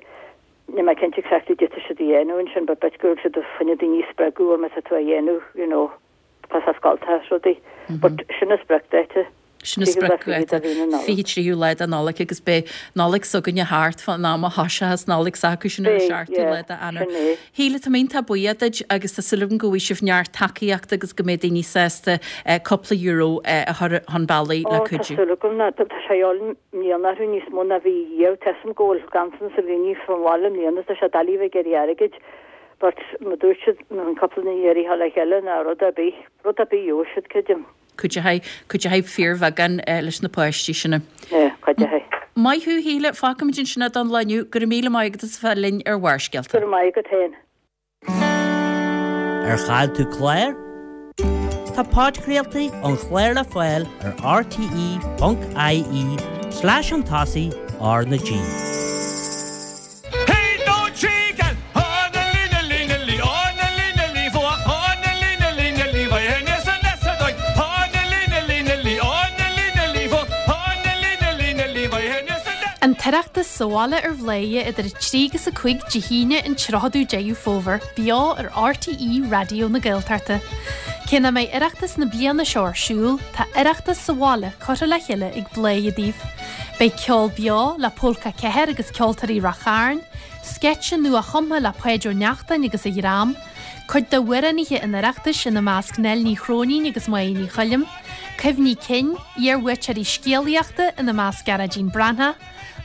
Níl mé cinnte exactly cad tá siad a dhéanamh ansin but b'fhéidir go bhfuil siad fá choinne daoine a spreagadh má tá tú á dhéanamh you know tá sa scoltacha is rudaí but sin an spriocdháta. Sin an spriocdháta, fiche tríú lá de Nollaig agus beidh Nollaig s'againne thart fán am a thoiseochas Nollaig s'acu sin ar an seachtú lá de Eanáir. Shíle, tá mé iontach buíoch duit agus tá súil agam go bhfaighidh sibh neart tacaíochta agus go mbeidh daoine sásta cúpla euro a chur chun bealaigh le Ó, tá cuidiú. súil agam ná tá sé a dhíobháil i mbliana orthu níos mó ná bhí riamh. Tá fhios agam go bhfuil ganntanas ar dhaoine fán bhaile i mbliana, tá sé doiligh a bheith ag iarraidh airgid but mar dúirt siad, an cúpla duine a iarraidh a dhul le chéile ná rud ar bith, rud ar bith gheobhaidh siad, creidim. Cuideoidh, cuideoidh fíorbheagán leis na páistí sin. Yeah, cuideoidh. Maith thú, a Shíle, fágfaimid ansin é don lá inniu. Go raibh míle maith agat as a bheith linn ar Bharrscéalta. Go raibh maith agat féin. Ar chaill tú clár? Tá podchraoltaí an chláir le fáil ar rte ponc ie slash chun tosaigh R na G. An tOireachtas sa bhaile ar Bhladhaire idir a trí agus a cúig Dé hAoine an tríochadú Deireadh Fómhair, beo ar RTÉ Raidió na Gaeltachta. Cé nach mbeidh Oireachtas na bliana seo ar siúl, tá Oireachtas sa bhaile curtha le chéile ag Bladhaire daoibh. Beidh ceol beo le Pólca Ceathair agus Ceoltóirí Rath Chairn, sceitse nua-chumtha le Páid Ó Neachtain agus a dhream, Cuid d'amhránaithe an Oireachtais ina measc Nell Ní Chróinín agus Máire Ní Choilm, cuimhní cinn, iarbhuaiteoirí scéalaíochta ina measc Gearóidín Breathnach,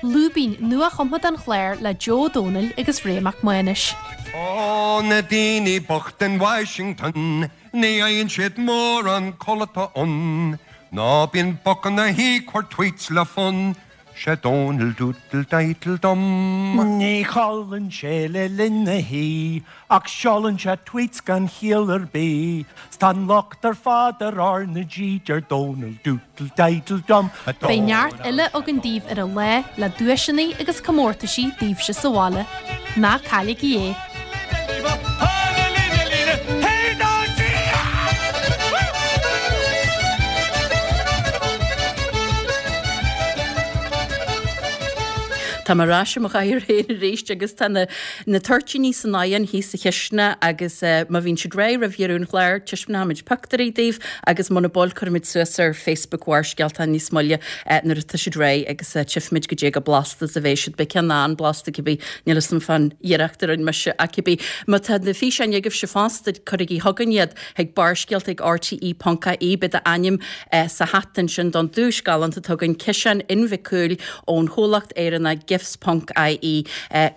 Lúibín nuachumtha don chlár le Joe Ó Dónaill agus Ray Mac Mánais. Ó na daoine bocht in Washington, ní fhaigheann siad mórán codlata ann, Ná bíonn boc ina shuí ag cur tweets le fonn, 'Sé Dónal Doodle Diddle Dum. Ní chodlann sé le linn na hoíche ach seolann sé tweets gan chiall ar bith. 'S tá an locht ar fad ar R na G, deir Dónal Doodle Diddle Dum. Beidh neart eile againn daoibh ar an lá le duaiseanna agus comórtaisí daoibhse sa bhaile. Ná cailligí é! Tá mé ar ais i mo chathaoir féin arís agus tá na na toirtíní san oigheann thíos sa chisteanach agus má bhíonn siad réidh roimh dheireadh an chláir, taispeánfaimid pictiúirí daoibh agus muna bhfuil cuirfimid suas ar Facebook Bharrscéalta níos moille nuair atá siad réidh agus tchífimid goidé chomh blasta is a bheidh siad. Beidh ceann an-blasta cibé, níl fhios a'm fán iarracht a rinne mise ach cibé. Má tá na físeáin agaibhse fosta, cuirigí chugainn iad chuig barrscéalta ag rte ponc ie, beidh d'ainm sa hata ansin don duais galánta atá againn, ciseán inbhicúil ón chomhlacht Éireannach gifts ponc ie.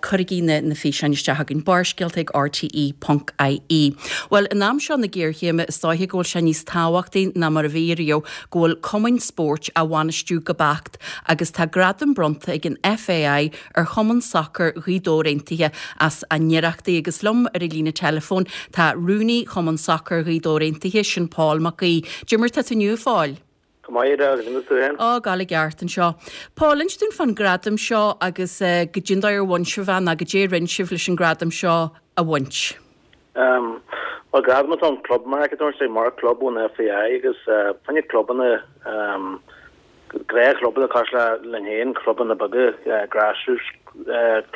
Cuirigí na na físeáin isteach chugainn, barrscéalta ag rte ponc ie. Bhuel, in am seo na géarchéime, is dóiche go bhfuil sé níos tábhachtaí ná mar a bhí riamh go bhfuil cumainn spóirt á bhainistiú go beacht agus tá gradam bronnta ag an FAI ar Chumann Sacair Ghaoth Dobhair Aontaithe as a n-iarrachtaí agus liom ar an líne teileafóin tá Rúnaí Chumann Sacair Ghaoth Dobhair Aontaithe, sin Paul Mac Aoidh. Goidé mar tá tú inniu, a Phóil? Go maith, agus an tú féin? Á, ag gabháil i gceart anseo. Paul, inis dúinn fán gradam seo agus goidé an dóigh ar bhain sibh é nó goidé a rinne sibh leis an gradam seo a bhaint. Bhuel, gradam atá ann Club Mark a dúirt sé, mar club ón FAI agus fá choinne clubanna, gnáthchlubanna cosúil le linn féin, clubanna beaga, grassroots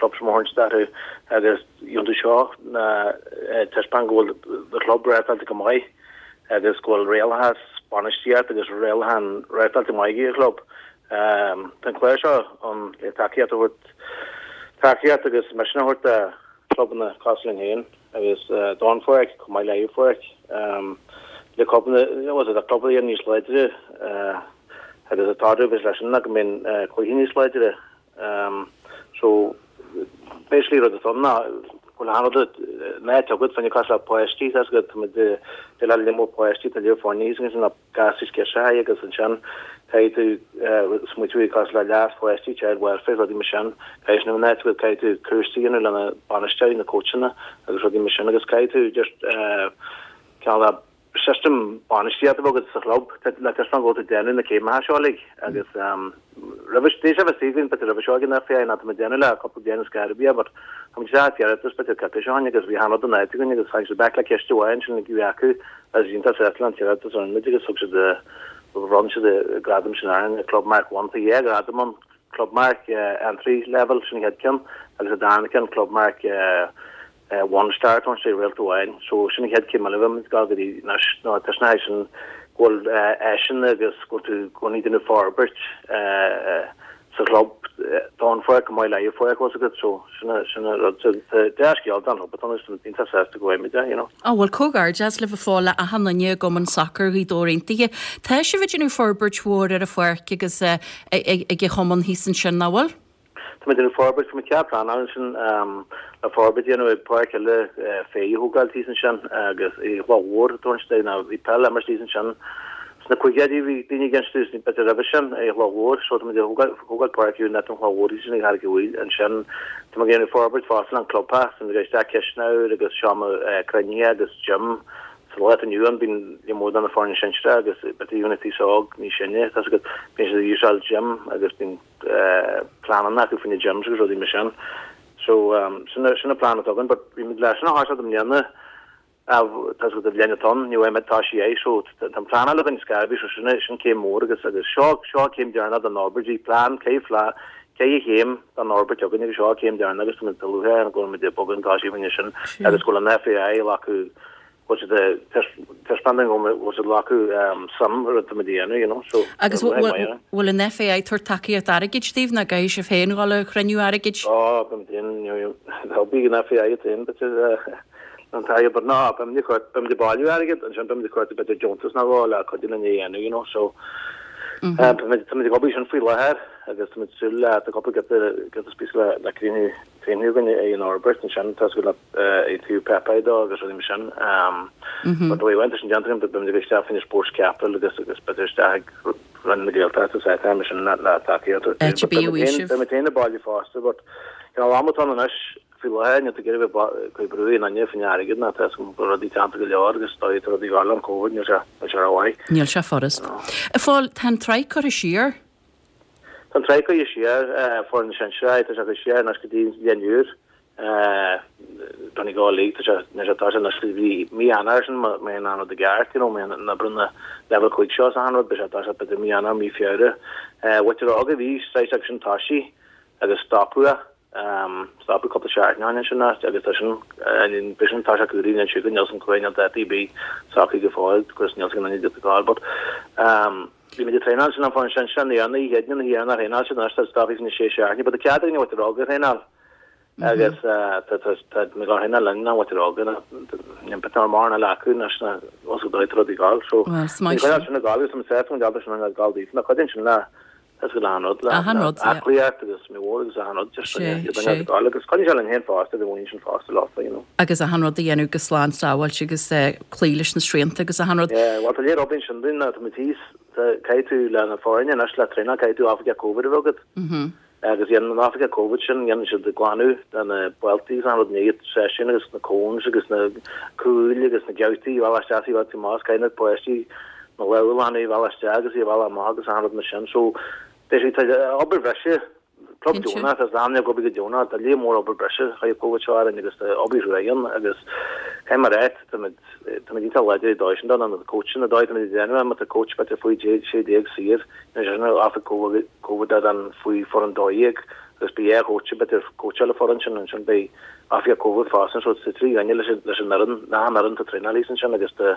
clubs mar a thugann siad orthu agus iontu seo ná taispeáint go bhfuil do chlub reáchtáilte go maith agus go bhfuil rialachas, bainistíocht agus rialachán reáchtáilte go maith ag an chlub. Tá an clár seo ann le tacaíocht a thabhairt tacaíocht agus misneach a thabhairt do chlubanna cosúil linn féin agus don pháirc chomh maith le pháirc le clubanna le clubanna níos láidre agus atá leis sin go mbíonn cluichí níos láidre. So basically rud atá ann ná go bhfuil an rud ná agat fá choinne cosúil le páistí tá go tá muid de le limo páistí tá lear foirne thíos agus na gasúir sciorrtha agus ansin caithfidh tú smaoitiú cosúil le leas pháistí child welfare rudaí mar sin caithfidh sin a bheith caithfidh tú cúrsaí a dhéanamh lena bainisteoirí na coachanna agus rudaí mar sin agus caithfidh tú just cineál de system bainistíochta a bheith agat sa chlub le taispeáint go bhfuil tú ag déanamh na céimeacha seo uilig agus roimhe tar éis a bheith istigh b'fhéidir roimhe seo ag an FAI ná tá muid ag déanamh le cúpla bliain ar scor ar bith but tá muid isteach iarratas b'fhéidir coicís ó shin agus bhí an rud in áit againn agus tháinig siad back le ceist amháin sin a bhí acu agus iontach sásta leis an t-iarratas a rinne muid agus thug siad bhronn siad an gradam sin orainn Club Mark One tá dhá ghradam ann Club Mark Entry Level sin an chéad ceann agus an darna ceann Club Mark One Star tá sé réalta amháin so sin an chéad chéim eile a bhí muid ag gabháil go dtí anois ná tá sin sin go bhfuil áiseanna agus go bhfuil tú i gcónaí ag déanamh forbairt sa chlub don pháirc chomh maith le pháirc fós agat so sin sin an rud so dea-scéal don chlub atá ann is iontach sásta go bhfaighimid é you know. Á bhuel comhghairdeas libh a Phóil le achan duine i gCumann Sacair Ghaoth Dobhair Aontaithe. Tá sibh ag déanamh forbairt mhór ar an pháirc agus ag an chumann thíos ansin, nach bhfuil? Tá muid ag déanamh forbairt, tá muid cead pleanáil ansin le forbairt a dhéanamh ag páirc eile féich a thógáil thíos ansin agus i gCloch Mhór a tabhairt de ná bhí peil á imirt thíos ansin sna caogaidí bhí daoine ag insint dúinn b'fhéidir roimhe sin i gCloch Mhór so tá muid ag thógáil páirc úr in áit an Chloch Mhór thíos ansin ag Charraig an Mhaoil ansin tá muid ag déanamh forbairt fosta an clubtheach tá muid ag isteach cisteanach úr agus seomra cruinnithe agus gym sa lá atá inniu ann bíonn líon mór de na foirne sinsearach agus b'fhéidir even an t-aos óg níos sine tá siad bíonn siad ag úsáid gym agus bíonn pleananna acu faoi na gyms agus rudaí mar sin. So sin sin an plean atá againn but bhí muid leis sin a thoiseacht i mbliana tá a fhios agat an bhliain atá ann ní bheidh muid toisithe é so tá an pleanáil againn ar scor ar bith so sin sin céim mhór agus agus seo seo céim deireanach den fhorbairt bhí plean ceithre ceithre chéim den fhorbairt againn agus seo céim deireanach agus tá muid luaithe go bhfuil muid ag bogadh chun tosaigh faoina sin agus go bhfuil an FAI ag glacadh bhfuil siad ag taispeáint go bhfuil siad ag glacadh suim sa rud atá muid a dhéanamh, you know, so Agus bhfuil an FAI ag tabhairt tacaíocht airgid daoibh nó caithfidh sibh féin dhul ag cruinniú airgid? Ó, bím féin, you know, bhí an FAI féin, but an t-airgead but ná beimid ag cur beimid ag bailiú airgead ansin beimid ag cur b'fhéidir deontas nó dhó le cuidiú linn é a dhéanamh you know so táimid táimid ag obair sin faoi láthair agus táimid ag súil le tá cúpla giota giota spíosa le le críochnú críochnú againn ag an fhorbairt ansin tá súil le ag taobh Pepe dó agus rudaí mar sin but bhí bhaint sin déanta againn beimid ag isteach faoina Sports Capital agus agus b'fhéidir isteach ag Roinn na Gaeltachta sa time sin le le tacaíocht Áit a bíodh faoiseamh. Beimid féin ag bailiú fosta but you know am atá ann anois faoi láthair níl tú ag iarraidh bheith ag cur brú ar aon duine faoin airgead ná tá a fhios agam go bhfuil rudaí teannta go leor agus dóigh tá rudaí gar le an Covid níl sé níl sé rómhaith. Níl sé furast. A Phóil, tá an tsraith curtha siar. Tá an tsraith curtha siar, foireann sinsearach, tá sé curtha siar anois go dtí an bhliain úr. Donegal League, tá sé anois tá sé anois go dtí mí Eanáir sin má má théann an rud i gceart, you know, má théann na brúnna leibhéal cúig seo is achan rud, beidh sé tá sé b'fhéidir mí Eanáir, mí Feabhra. Mhuintir Óga bhí saghas acu sin toisithe agus stopadh é. Stopadh cúpla seachtain ó shin ansin agus tá sin beidh sin tá sé cúraí níl siad níl san cúig níl dátaí ar bith socraithe go fóill agus níl san ionad go fóill but bhí muid ag traenáil sin an fáin sin sin na na hiad na hiad na thraenáil sin anois tá stoptha faoi sé seachtaine but tá cead againn a mhuintir óga a thraenáil agus tá tá tá mé ag thraenáil linn na mhuintir óga na ní beidh mar na leacu na na os go dóigh rudaí gal so Well, is maith Ní sin sin ag gabháil agus tá mé sásta go bhfuil sin ag gabháil daofa na cuid sin le Is go achan rud le Achan rud, yeah. aclaíocht agus mí mhór agus achan rud just Sé, iad sé. ag gabháil agus coinnigh sé linn féin fosta, bhí muinín sin fosta leofa, you know. Agus achan rud a dhéanamh go slán sábháilte agus eh, cloí leis na srianta agus achan rud. Yeah, well tá léir obair sin dúinn tá muid thíos, tá caithfidh tú le na foirne anois le traenáil caithfidh tú oifigeach Covid a bheith agat. Mhm. Agus dhéanann an oifigeach Covid sin dhéanann siad glanadh de na bealtaí agus achan rud i ndiaidh seisiún agus na cones agus na cúil agus na geabhtaí a bhealach isteach í bhealach amach caithfidh na páistí na lámha a ghlanadh isteach agus í a bhealach amach agus achan rud mar sin so basically tá obair bhreise club Cinnte. deonach is am go go deonach tá líon mór obair breise chuig Covid seo orainn agus tá obair thréan agus caithfidh mé a rá táimid táimid iontach láidir i dóigh sin don na coachanna dóigh táimid ag déanamh má tá coach b'fhéidir faoi sé déag saor nó sin oifigeach Covid Covid dan faoi foireann dó dhéag agus beidh dhá choach b'fhéidir coacháil an foireann sin ansin beidh oifigeach Covid fosta so tá trí dhuine leis an leis an fhoireann na an fhoireann tá traenáil thíos ansin agus tá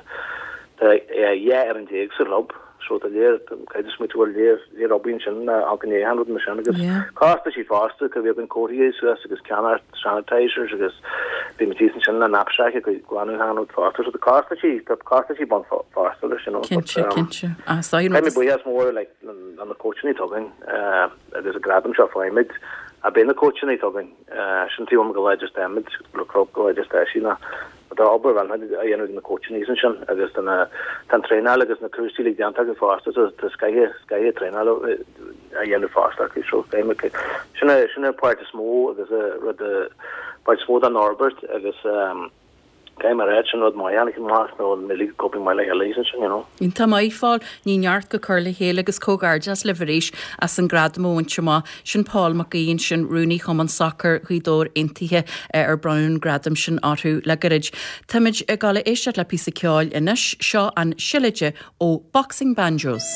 Tá dhá fhoireann déag sa chlub so tá léir caithfidh smaoitiú bhfuil léir léir obair ansin ach go ndéanann rud mar sin agus costaisí fosta go bhí againn cótaí suas agus ceannacht sanitisers agus bhí muid thíos ansin le knapsack ag glanadh achan rud fosta so tá costaisí tá costaisí bun fosta leis you know Cinnte, cinnte. Ah, so Caithfidh mé buíochas mór like le na coachanna atá againn agus an gradam seo faighimid a beidh na coachanna atá againn sin taobh amuigh go láidir táimid le club go láidir tá sí ná Tá obair mhaith á dhéanamh ag na coachanna ansin agus tá na tá an traenáil agus na cúrsaí uilig déanta acu fosta so tá scoth scoth traenáil á dhéanamh fosta acu so sin sin an páirt is mó agus rud páirt is mó den fhorbairt agus caithfidh mé a rá sin rud maith a tháinig amach nó an uilig cóipí maith le chéile ansin you know. Iontach maith Phóil, ní neart go cur le chéile agus comhghairdeas libh arís as an gradam a bhaint amach. Sin Paul Mac Aoidh ansin rúnaí Chumann Sacair Ghaoth Dobhair Aontaithe ar bronnadh an gradam sin orthu le gairid. Táimid ag dul a éisteacht le píosa ceoil anois seo an Seilide ó Boxing Banjos.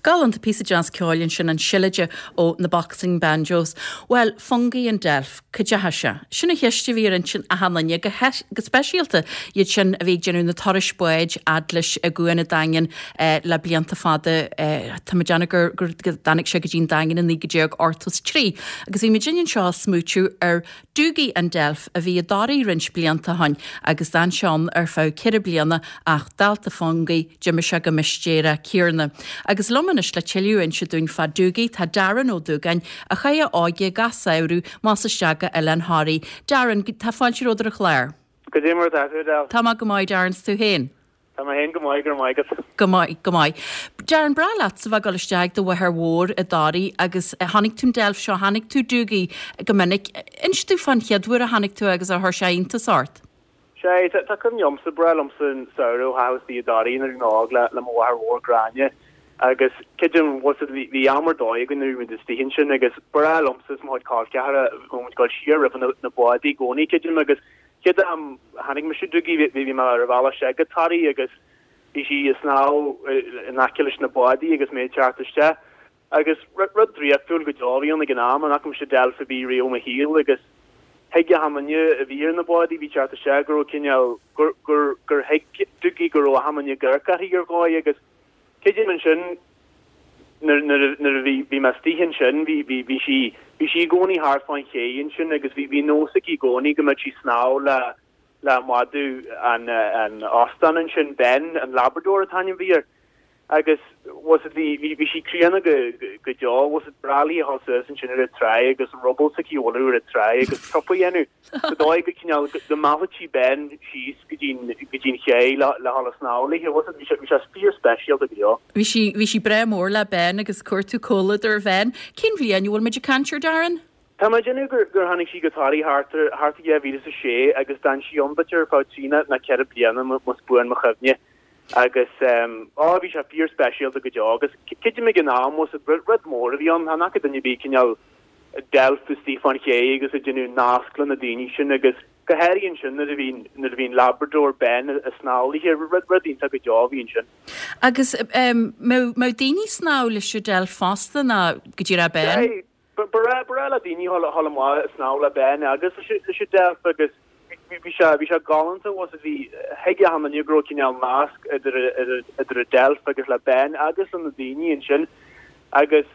Galánta píosa deas ceoil ansin an Seilide ó na Boxing Banjos. Bhuel, Fungie an Deilf, cá dteachaigh sé? Sin an cheist a bhí ar intinn achan duine, go go speisialta iad sin a bhí ag déanamh na turais báid fhad leis an gcuan an Daingean le blianta fada. Tá mé ag déanamh gur gur dtáinig sé go dtí an Daingean i naoi déag ochtó is trí. Agus bhí muid anseo ag smaoitiú ar Dougie an Deilf a bhí i dToraigh roinnt blianta ó shin agus d'fhan sé ann ar feadh ceithre bliana ach dálta Fungie d'imigh sé go mistéireach céarna. Agus liom anois le tuilleadh a inse dúinn fá Dougie tá Darren Ó Dúgáin a chaith a óige gach samhradh más isteach go Oileán Thoraí. Darren, tá fáilte romhat ar an chlár. Goidé mar atá tú, Adele? Tá mé go maith Darren 's tú féin. Tá mé féin go maith go raibh maith agat. Go maith, go maith. Darren b'bhreá leat a bheith ag dul isteach do mháthair mhór i dToraigh agus chonaic tú an deilf seo, chonaic tú Dougie go minic. Inis domh fán chéad uair a chonaic tú agus ar chuir sé iontas ort. Sé, tá cuimhne agamsa, b'bhreá liomsa an samhradh a chaitheamh istigh i dToraigh nuair a bhí mé óg le le mo mháthair mhór Gráinne agus creidim bhfuil a fhios agat bhí am ar dóigh againn nuair a bhí muid istigh ansin agus b'bhreá liomsa is mo chuid col ceathara bhí muid ag dul siar roimh na na bádaí i gcónaí creidim agus chéad am a chonaic mise Dougie bhí bhí mé ar an bhealach isteach go Toraigh agus bhí sí ag snámh in aice leis na bádaí agus mé ag teacht isteach agus rud draíochtúil go deo a bhí ann ag an am, an fhaca mise deilf ar bith riamh i mo shaol agus thuig achan duine a bhí ar na bádaí a bhí ag teacht isteach go raibh cineál gur gur gur thuig Dougie go raibh achan duine ag amharc uirthi ar dhóigh agus creidim ansin nuair nuair nuair a bhí bhí mé istigh ansin bhí bhí bhí sí bhí sí i gcónaí thart fán ché ansin agus bhí bhí nós aici i gcónaí go mbeadh sí ag snámh le le madadh an an óstán ansin Ben an Labrador an t-ainm a bhí air agus was it bhí bhí bhí sí críonna go go deo was it b'bhreá léi a dhul suas ansin ar an tráigh agus ruball s'aici a bhualadh ar an tráigh agus trup a dhéanamh sa dóigh go cineál go meallfadh sí Ben síos go dtí go dtí an ché le le dhul ag snámh léi was it bhí sé bhí sé fíor speisialta go deo. Bhí sí bhí sí breá mór le Ben agus cuartú comhluadar Bhen. Cén bhliain a bhfuil muid ag caint air Darren? Tá mé ag déanamh gur gur tháinig sí go Toraigh thart ar thart ar dhá mhíle is a sé agus d'fhan sí ann b'fhéidir ar feadh trí nó ceithre bliana más buan mo chuimhne. Agus á bhí sé fíor speisialta go deo agus creidim ag an am was it rud mór a bhí ann, chan fhaca duine ar bith cineál deilf istigh fán ché agus ag déanamh nasc le na daoine sin agus go háirithe ansin nuair a bhí nuair a bhí an Labrador Ben ag snámh léi, rud rud iontach go deo a bhí ansin. Agus mbeadh mbeadh daoine ag snámh leis an deilf fosta ná go díreach Ben? Sea, ba bhreá ba bhreá le daoine a dhul amach ag snámh le Ben agus leis an deilf agus bhí sé bhí sé galánta was it bhí thuig achan duine go raibh cineál nasc idir idir idir an deilf agus le Ben agus le na daoine ansin agus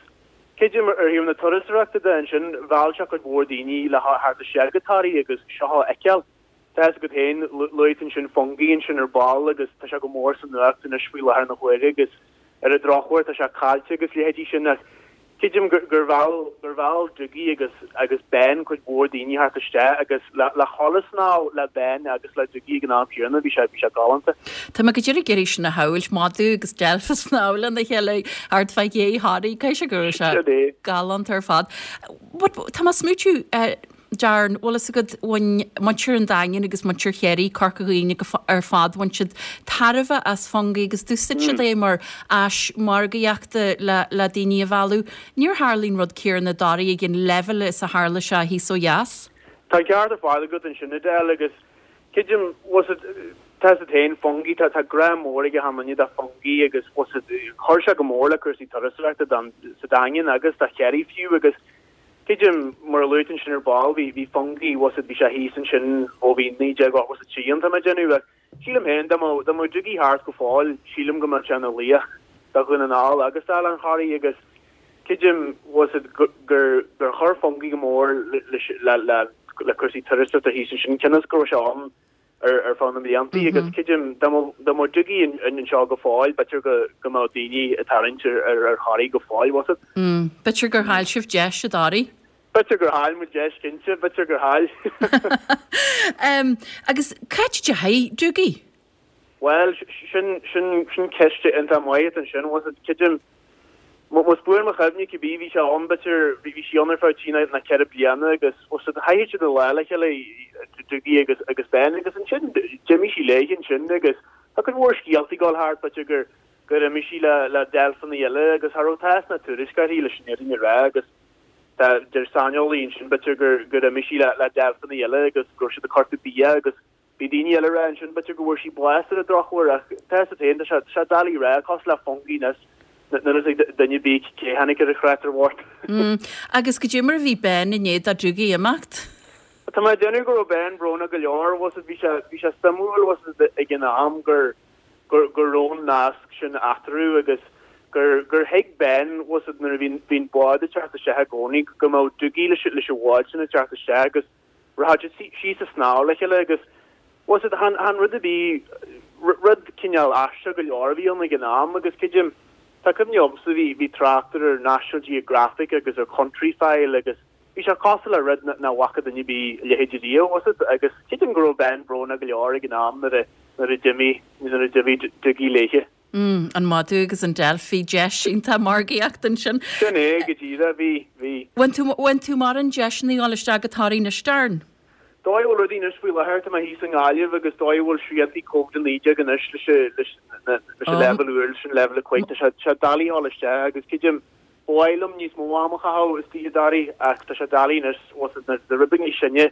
creidim ar thaobh na turasóireachta de ansin mheall sé cuid mhór daoine le theacht isteach go Toraigh agus seo a fheiceáil. Tá a fhios agat féin, luaigh tú ansin Fungie ansin ar ball agus tá sé go mór sa nuacht anois faoi láthair na huaire agus ar an drochuair tá sé caillte agus leithéidí sin ach creidim gur gur mheall gur mheall Dougie agus agus Ben cuid mhór daoine theacht isteach agus le le dhul ag snámh le Ben agus le Dougie ag an am céanna bhí sé bhí sé galánta. Tá mé go díreach ag iarraidh sin a shamhailt, madadh agus deilf ag snámh lena chéile thart fá ché Thoraí, caithfidh sé go raibh sé galánta ar fad. But tá mé ag smaoitiú eh, Darren, bhfuil fhios agat, bhain muintir an Daingin agus muintir Chiarraí, Corca Dhuibhne ar fad, bhain siad tairbhe as Fungie agus d'úsáid siad é mar áis margaíochta le le daoine a mhealladh. Níor tharla an rud céanna i dToraigh ag an leibhéal is a tharla sé thíos ó dheas. Tá an ceart ar fad agat ansin, Edel, agus creidim, bhfuil fhios agat, tá a fhios agat féin, Fungie, tá tá grá mór ag achan duine do Fungie agus bhfuil fhios agat, chuir sé go mór le cúrsaí turasóireachta don sa Daingean agus do Chiarraí fiú agus Creidim, mar a luaigh tú ansin ar ball, bhí, bhí Fungie, bhfuil fhios agat, bhí sé thíos ansin ó bhí naoi déag ochtó is a trí ann, tá mé ag déanamh, ach sílim féin, dá mbeadh, dá mbeadh Dougie thart go fóill, sílim go mbeadh sé ina laoch do Dhún na nGall agus d'Oileán Thoraí agus creidim, bhfuil fhios agat, gur, gur, gur chuir Fungie go mór leis, le, le, le cúrsaí turasóireachta thíos ansin, cionn is go raibh sé ann ar ar feadh na mbliantaí agus creidim dá mbeadh dá mbeadh Dougie anseo go fóill b'fhéidir go go mbeadh daoine ag tarraingt ar ar ar Thoraigh go fóill, bhfuil fhios agat. B'fhéidir gur chaill sibh deis i dToraigh. B'fhéidir gur chaill muid deis cinnte, b'fhéidir gur chaill. Agus cá háit a ndeachaigh Dougie? Bhuel, sin, sin, sin ceist iontach maith ansin, bhfuil fhios agat, creidim, más buan mo chuimhne cibé, bhí sé ann, b'fhéidir, bhí, bhí sí ann ar feadh trí nó ceithre bliana agus, bhfuil fhios agat, chaitheadh siad an lá le chéile, Dougie agus, agus Ben agus ansin d'imigh sí léi ansin agus tá cuid mhór scéaltaí ag dul thart, b'fhéidir gur, gur imigh sí le, le deilfeanna eile agus cha raibh tásc ná tuairisc uirthi leis an fhírinne a rá agus tá, deir saineolaí ansin, b'fhéidir gur, gur imigh sí le, le deilfeanna eile agus go raibh siad ag cuartú bia agus Bhí daoine eile ag rá ansin, b'fhéidir go bhfuair sí bás ar an drochuair ach tá a fhios agat féin, tá sé, tá sé doiligh a rá, cosúil le Fungie anois, Níl a fhios ag duine ar bith cé tháinig ar an chreatúr bhocht. Agus goidé mar a bhí Ben i ndiaidh do Dougie imeacht? Tá mé ag déanamh go raibh Ben brónach go leor, bhfuil a fhios agat, bhí sé, bhí sé suimiúil, bhfuil a fhios agat, ag an am gur, gur, go raibh an nasc sin eatarthu agus gur, gur thuig Ben, bhfuil a fhios agat, nuair a bhí, bhí an bád ag teacht isteach i gcónaí go mbeadh Dougie leis, leis an bhád sin ag teacht isteach agus rachadh siad síos ag snámh le chéile agus, bhfuil a fhios agat, chan, chan rud a bhí, rud cineál aisteach go leor a bhí ann ag an am agus creidim, tá cuimhne agamsa, bhí, bhí tráchtaire ar National Geographic agus ar Countryfile agus bhí sé cosúil le rud nach bhfaca duine ar bith a leithéid riamh, bhfuil a fhios agat, agus creidim go raibh Ben brónach go leor ag an am nuair a, nuair a d'imigh, nuair a d'imigh Dougie léithe. Mm, an madadh agus an deilf, bhí deis iontach margaíocht ansin. Sin é, go díreach, bhí, bhí. Bhfuil tú, bhfuil tú mórán deiseanna a dhul isteach go Toraigh anois, Darren? Dóigh a bhfuil rudaí anois faoi láthair, tá mé thíos i nGaillimh agus dóigh a bhfuil sriantaí Covid a naoi déag anois leis an, leis na, leis an leibhéal úr, leis an leibhéal a cúig, tá sé, sé doiligh a dhul isteach agus creidim, ba mhaith liom níos mó am a chaitheamh istigh i dToraigh ach tá sé doiligh anois, bhfuil a fhios agat, na rud beag níos sine,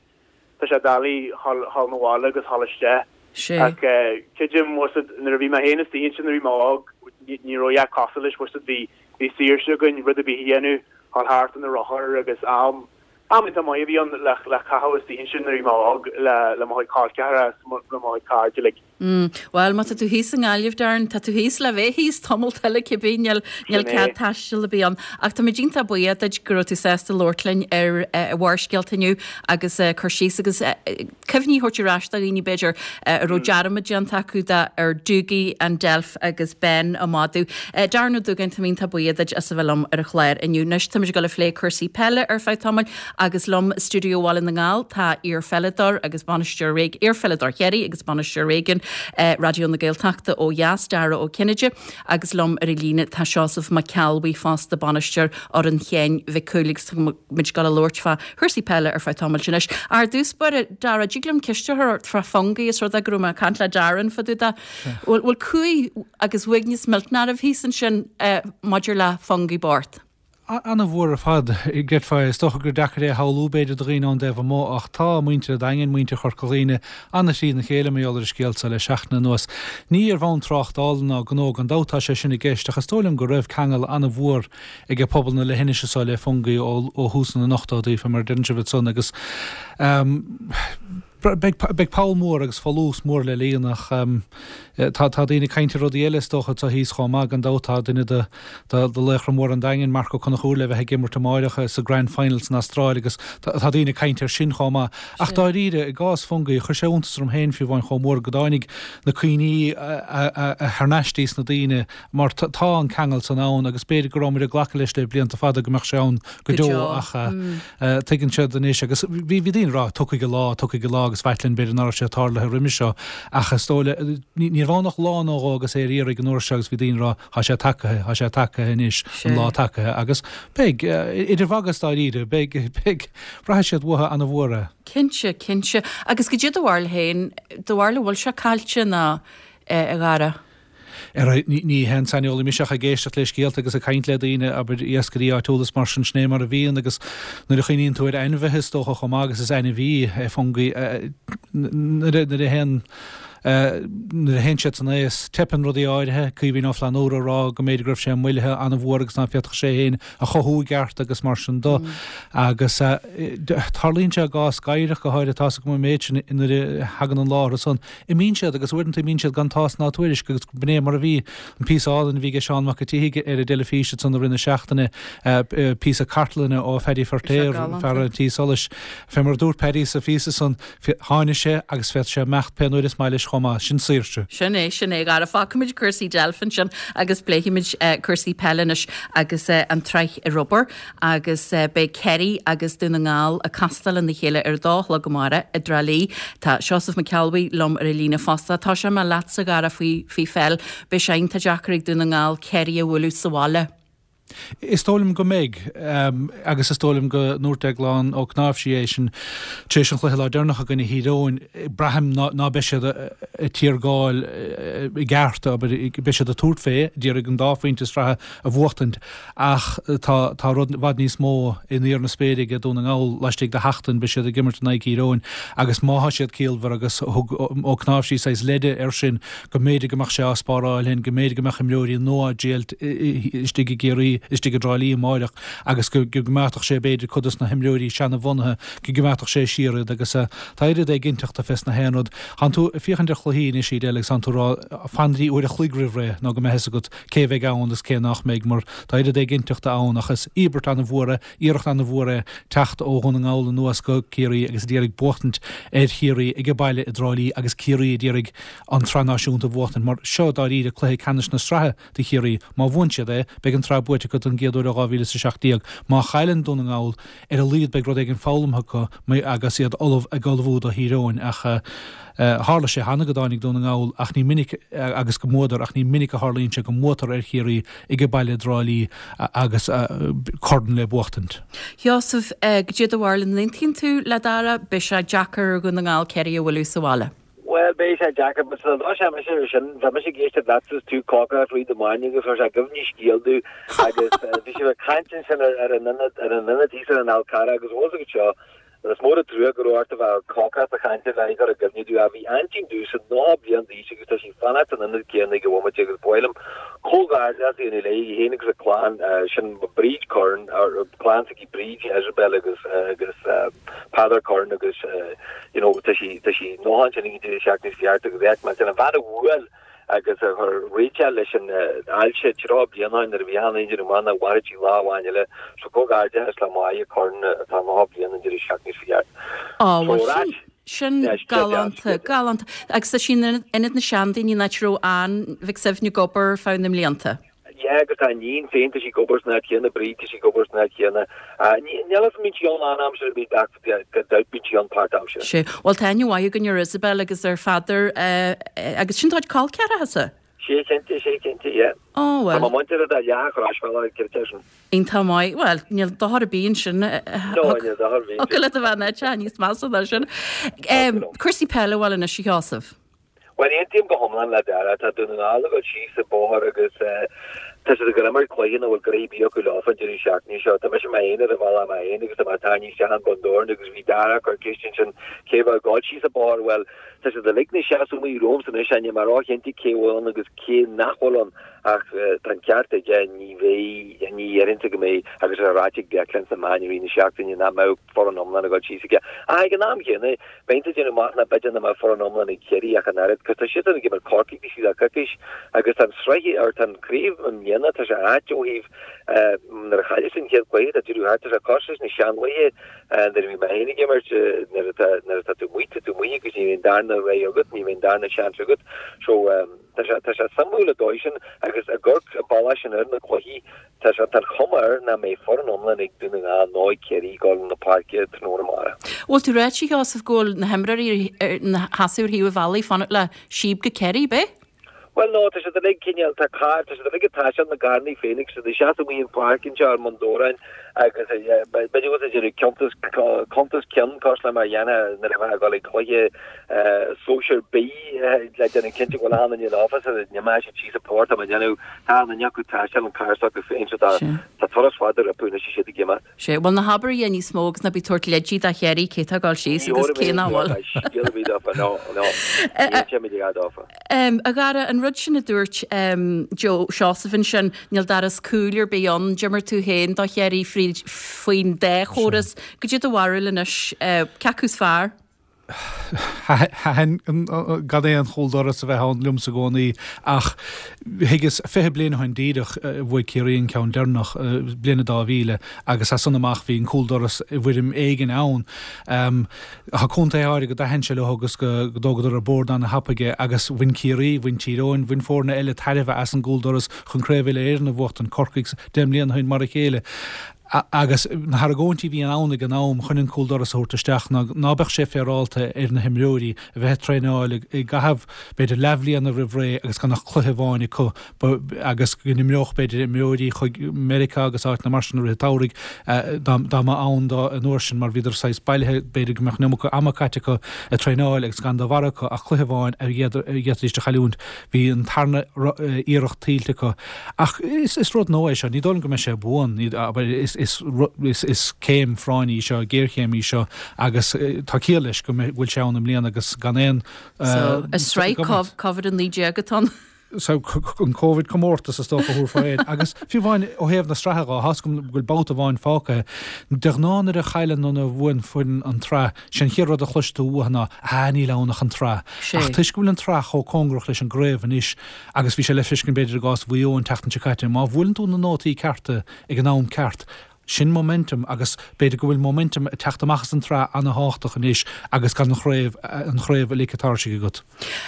tá sé doiligh dhul, dhul 'na bhaile agus dhul isteach. Ach creidim, bhfuil a fhios agat, nuair a bhí mé féin istigh ansin nuair a bhí mé óg, ní raibh a dhath cosúil leis, bhfuil a fhios agat, bhí, bhí saoirse againn rud ar bith a dhéanamh, dhul thart ar na rothair agus am, am iontach maith a bhí ann le, le caitheamh istigh ansin nuair a bhí mé óg le, le mo chuid col ceathracha is mo, le mo chuid cairde uilig. Mm, bhuel, má tá tú thíos i nGaillimh, Darren, tá tú thíos le bheith thíos tamall eile cibé, níl, níl cead taistil ar bith ann. Ach táimid iontach buíoch duit go raibh tú sásta labhairt linn ar Bharrscéalta inniu agus cur síos agus cuimhní a thabhairt ar ais do dhaoine, b'fhéidir, a raibh dearmad déanta acu de ar Dougie an deilf agus Ben an madadh. Darren Ó Dúgáin, táim iontach buíoch duit as a bheith liom ar an chlár inniu. Anois táimid ag dul a phlé cúrsaí peile ar feadh tamaill agus liom i stiúideo Bhaile na nGall tá iar-pheileadóir agus bainisteoir, iar-pheileadóir Chiarraí agus bainisteoir réigiúin Raidió na Gaeltachta ó dheas, Dara Ó Cinnéide, agus liom ar an líne tá Seosamh Mac Ceallbhuí fosta, bainisteoir fhoireann Sheáin Mhic Cumhaill agus tá muid ag dul a labhairt fá chúrsaí peile ar feadh tamaill anois. Ar dtús báire, Dara, dtig liom ceist a chur ort fá Fungie is rud é go raibh mé ag caint le Darren fá dtaobh de. Bhfuil cumhaidh agus uaigneas millteanach oraibh thíos ansin maidir le Fungie bocht? Ana-mhór ar fad, gcreidfeá. Is dócha gur deacair é a shamhlú, b'fhéidir, do dhaoine ón dtaobh amuigh, ach tá muintir an Daingin, muintir Chorca Dhuibhne, ana-thrína chéile mar gheall ar an scéal seo le seachtain anuas. Ní ar bhonn tráchtála ná gnó, gan dabht, tá sé sin i gceist, ach is dóigh liom go raibh ceangal ana-mhór ag pobal na leithinise seo le Fungie ó thús na n-ochtóidí, fé mar a deireann sibh ansan, agus beidh poll mór agus folús mór le líonadh ach tá tá daoine ag caint ar rudaí eile is dócha atá thíos chomh maith gan dabht tá duine de de laochra móra an Daingin, Marc Ó Conchúir le bheith ag imirt amáireach sa Grand Final san Astráil agus tá daoine ag caint air sin chomh maith. Ach dáiríre, i gcás Fungie, chuir sé iontas orm féin fiú amháin chomh mór go dtáinig na cuimhní thar n-ais dtí sna daoine mar tá an ceangal san ann agus b'fhéidir go rabhamar ag glacadh leis le blianta fada go mbeadh sé ann go deo ach tuigeann siad anois agus bhí daoine ag rá tiocfaidh an lá, tiocfaidh an lá agus b'ait linn b'fhéidir nach raibh sé tarlaithe roimhe seo ach is dóigh le, ní raibh ann ach lá nó dhó agus é ar iarraidh an uair seo agus bhí daoine ag rá tá sé tagaithe, tá sé tagaithe anois, an lá tagaithe agus beidh, idir mhagadh is dáiríre, beidh, beidh, braithfidh siad uathu ana-mhór é. Cinnte, cinnte. Agus goidé do bharúil féin, do bharúil an bhfuil sé caillte nó, a Dhara? Ar aghaidh, ní haon saineolaí mise ach ag éisteacht le scéalta agus ag caint le daoine, abair, iascairí áitiúla is mar sin, sin é mar a bhíonn agus nuair a chuimhníonn tú ar ainmhithe is dócha chomh maith agus is ainmhí é Fungie, nuair a théann nuair a théann siad san aos, teipeann rudaí áirithe, Caoimhín Ó Flannúra ag rá go mb'fhéidir go raibh sé moillithe an-mhór agus ná féadfadh sé féin a chothú i gceart agus mar sin do. Agus tarlaíonn sé i gcás gadhrach go háirithe, tá's agam an méid sin, nuair a thagann an lá orthu san, Imíonn siad agus uaireanta imíonn siad gan tásc ná tuairisc agus b'in é mar a bhí an píosa álainn a bhí aige Seán Mac an tSíthigh ar an dteilifís ansan i rith na seachtaine, píosa cartlainne ó Phaddy Feirtéar, fear an tí solais. Fé mar a dúirt Paddy sa phíosa san, tháinig sé agus féadfaidh sé imeacht pé uair is maith leis chomh maith. Sin saoirse. Sin é, sin é. Dhara, fágfaimid cúrsaí deilf ansin agus pléifimid cúrsaí peile anois agus an tsraith rugbaí. Agus beidh Ciarraí agus Dún na nGall ag castáil lena chéile ar a dó a chlog amárach i dTrá Lí. Tá Seosamh Mac Ceallbhuí liom ar an líne fosta. Tosóidh mé leatsa, a Dhara, faoi faoi pheil. Beidh sé iontach deacair ag Dún na nGall Ciarraí a bhualadh sa bhaile. Is dóigh liom go mbeidh, agus is dóigh liom go ndúirt Deaglán Ó Cnáimhsí é sin tar éis an chluiche lá deireanach i gcoinne Thír Eoghain, braithim ná beidh siad ag tiargáil i gceart, abair, beidh siad ag tabhairt fé, d'iarraidh an dá phointe sraithe a bhuachtaint ach tá tá rud i bhfad níos mó in íor na spéire ag Dún na nGall laistigh de sheachtain, beidh siad ag imirt in aghaidh Thír Eoghain agus má thá siad ciallmhar agus thug Ó Cnáimhsí saghas leide air sin go mb'fhéidir go mbeadh sé á spáráil féin, go mb'fhéidir go mbeadh imreoirí nua á dtriailt istigh i gCiarraí, istigh i dTrá Lí amáireach agus go gcoimeádfadh sé b'fhéidir cuid dos na himreoirí seana-bhunaithe, go gcoimeádfadh sé siar iad agus tá oiread éiginnteachta fés na haon rud. Tánn tú ag féachaint ar chluichí anois Edel agus tánn tú ag rá fan go dtí uair a chloig roimh ré nó go mbeidh fhios agat cé bheidh ann agus cé nach mbeidh mar tá oiread éiginnteachta ann ach is íobairt ana-mhór é, iarracht ana-mhór é teacht ó Dhún na nGall anuas go Ciarraí agus ag iarraidh buachtaint ar Chiarraí age baile i dTrá Lí agus Ciarraí ag iarraidh an tsraith náisiúnta a bhuachtaint mar seo dáiríre cluiche ceannais na sraithe do Chiarraí. Má bhuann siad é, beidh an tsraith buaite acu don gcéad uair ó dhá mhíle is a seacht déag. Má chailleann Dún na nGall, ar a laghad beidh rud éigin foghlamtha acu agus iad ullamh ag ullmhú do Thír Eoghain ach tharla sé cheana go dtáinig Dún na nGall ach ní minic agus go mbuadar ach ní minic a tharlaíonn sé go mbuatar ar Chiarraí age baile i dTrá Lí agus corn le buachtaint. Sheosaimh, Goidé do bharúil, an aontaíonn tú le Dara, beidh sé deacair ar Dhún na nGall Ciarraí a bhualadh sa bhaile? Bhuel, beidh sé deacair, but sula dtoiseoidh mise ar sin, bhí mise ag éisteacht leatsa is tú ag cócaireacht rith na maidine agus chuir sé i gcuimhne scéal domh agus bhí sibh ag caint ansin ar ar an ionad ar an ionad thíos ar an Fhál Carrach agus bhfuil fhios agat seo, is mór an trua go raibh ort a bheith ag cócaireacht a chaint le cur i gcuimhne domh ach bhí aintín domhsa nócha bliain d'aois agus tá sí ag fanacht san ionad céanna ag an bhomaite agus ba mhaith liom comhghairdeas a dhéanamh léi, í féin agus a clann, sin Bríd Curran, clann s'aici Bríd, Isabel agus agus Peadar Curran agus you know tá sí tá sí nócha ansin ag an deireadh seachtaine seo thart agus bheadh mé an bhean a bhuail agus a chuir réiteach leis an ailse tríocha bliain ó shin nuair a bhí achan duine ag déanamh amach nach mairfeadh sí lá amháin eile so comhghairdeas le Máire Curran atá nócha bliain an deireadh seachtaine seo thart. Á bhuel sin sin galánta, galánta. Agus tá sí in Ionad na Seandaoine an áit a raibh Ann Mhic Suibhne ag obair ar feadh na mblianta. Yeah agus tá a iníon féin, tá sí ag obair san áit chéanna, Bríd, tá sí ag obair san áit chéanna. Níl fhios an mbíonn sí ann lán-aimsire, bíonn ach gan dabht bíonn sí ann páirt-aimsire. Sea. Bhuel tá aithne mhaith againn ar Isabel agus ar Pheadar agus sin do chuid col ceathracha. Sea cinnte, sea cinnte, yeah. Ó bhuel. Tá mo mhuintir ar leath an chrosbhealaigh, cinnte sin. Iontach maith. Bhuel, níl dochar ar bith ansin. No, níl dochar ar bith. Thiocfadh leat a bheith in áit níos measa ná sin. Cúrsaí peile, bhuel anois a Sheosaimh. Bhuel, aontaím go hiomlán le Dara. Tá Dún na nGall ag dul síos an bóthar agus tá siad ag dul imirt cluiche nach bhfuil gnoithe ar bith acu leofa an deireadh seachtaine seo. Tá mise mé féin ar an bhealach mé féin agus tá mé ag tarraingt isteach an Bun Dobhráin agus bhí Dara ag cur ceist ansin cé bheadh ag dul síos an bóthar. Bhuel, tá siad uilig ina seasamh amuigh romhamsa anois, níl mé róchinnte cé bhfuil ann agus cé nach bhfuil ann ach tá an ceart aige, ní bheidh, ní dhéarfainnse go mbeidh agus é ráite ag Declan sna meáin i rith na seachtaine nach mbeadh foireann iomlán ag dul síos aige. Ach ag an am chéanna, Bheinn ag déanamh amach nach b'fhéidir nach mbeadh foireann iomlán ag Ciarraí ach an oiread, cos tá siadsan ag imirt Corcaigh taobh istigh de coicís agus tá an sraith, or tá an craobh i mbliana, tá sé ait ó thaobh nuair a chailleas an chéad chluiche, tá deireadh thart, tá sé cosúil leis na seanlaethe nuair a bhí mé féin ag imirt, nuair atá, nuair atá tú amuigh, tá tú amuigh agus ní bhíonn darna rogha agat, ní bhíonn darna seans agat. So tá sé, tá sé suimiúil an dóigh sin agus ag amharc an bealach sin ar na cluichí, Tá sé, tá an chuma air nach mbeidh foireann iomlán ag Dún na nGall nó ag Ciarraí ag dul chun na páirce tráthnóna amárach. Bhfuil tú ráite, a Sheosaimh, go bhfuil na himreoirí ina seasamh ar thaobh an bhealaigh fanacht le síob go Ciarraí, ab é? Bhuel, no, tá siad uilig cineál, tá carr, tá siad uilig ag taisteal na gcarrannaí féin agus siad ag seasamh amuigh an pháirc anseo ar mBun Dobhráin agus b'fhéidir go bhfuil siad ag déanamh cuntas, cuntas ceann cosúil le mar a dhéanfá nuair a bheifeá ag dul ag cluiche sóisir B le déanamh cinnte go bhfuil achan duine leofa sula n-imeoidh siad síos an bóthar, tá mé ag déanamh, tá achan duine acu ag taisteal an carr s'acu féin so tá tá turas fada rompu anois is iad ag imeacht. Sea, bhuel ná habair a dhath níos mó agus ná bí ag tabhairt leidí do Chiarraí cé tá ag dul síos agus cé nach bhfuil. Scéal ar bith dófa, no, no, ní inseoidh mé a dhath dófa. A Dhara, an rud sin a dúirt Joe Seosamh ansin, níl doras cúil ar bith ann, d'imir tú féin do Chiarraí fríd faoin dá chóras, goidé do bharúil anois, cé acu is fearr? Thaitin gan aon chúldoras a bheith ann liomsa i gcónaí ach thuigeas fiche bliain ó shin díreach bhuaigh Ciarraí an ceann deireanach, bliain a dá mhíle, agus as san amach bhí an cúldoras i bhfoirm éigin ann. Tá contaetha áirithe go dtaitin sé leo agus go dtógadar ar bord ana-thapaidh é agus bhain Ciarraí, bhain Tír Eoghain, bhain foirne eile tairbhe as an gcúldoras chun Craobh Uile-Éireann a bhuachtaint, Corcaigh deich mbliana ó shin mar a chéile. Agus na hargóintí a bhí ann ag an am chun an cúldoras a thabhairt isteach ná ná beadh sé féaráilte ar na himreoirí a bheith ag traenáil i gcaitheamh b'fhéidir leathbhliana roimh ré agus gan ach cluiche amháin acu agus go n-imeodh b'fhéidir imreoirí chuig Meiriceá agus áiteanna mar sin i rith an tsamhraidh dá mba ann dó an uair sin mar bhíodar saghas bailithe b'fhéidir go mbeadh an iomarca ama caite acu ag traenáil agus gan de bharra acu ach cluiche amháin a d'fhéadfaidís a chailliúint. Bhí an tarna iarracht tuillte acu. Ach is rud nua é seo, ní dóigh liom go mbeidh sé buan. Is is céim phráinne í seo, géarchéim í seo agus tá ciall leis go bhfuil sé ann i mbliana agus gan aon So, is sraith Covid a naoi déag atá ann. So, an Covid comórtas is dócha a thabharfá air. Agus fiú amháin ó thaobh na sraithe dhó, tá's agam go bhfuil babhta amháin fágtha. De ghnáth nuair a chailleann nó nuair a bhuann foireann an tsraith, sé an chéad rud a chloisfidh tú uathu ná, ah níl ann ach an tsraith. Ach toisc go bhfuil an tsraith chomh cóngarach leis an gcraobh anois, agus bhí sé le feiscint b'fhéidir i gcás Mhaigh Eo an tseachtain seo caite, má bhuaileann tú na nótaí cearta ag an am ceart, sin momentum agus b'fhéidir go bhfuil momentum ag teacht amach as an tsraith ana-thábhachtach anois agus gan an chraobh an chraobh uilig ag tairseach agat.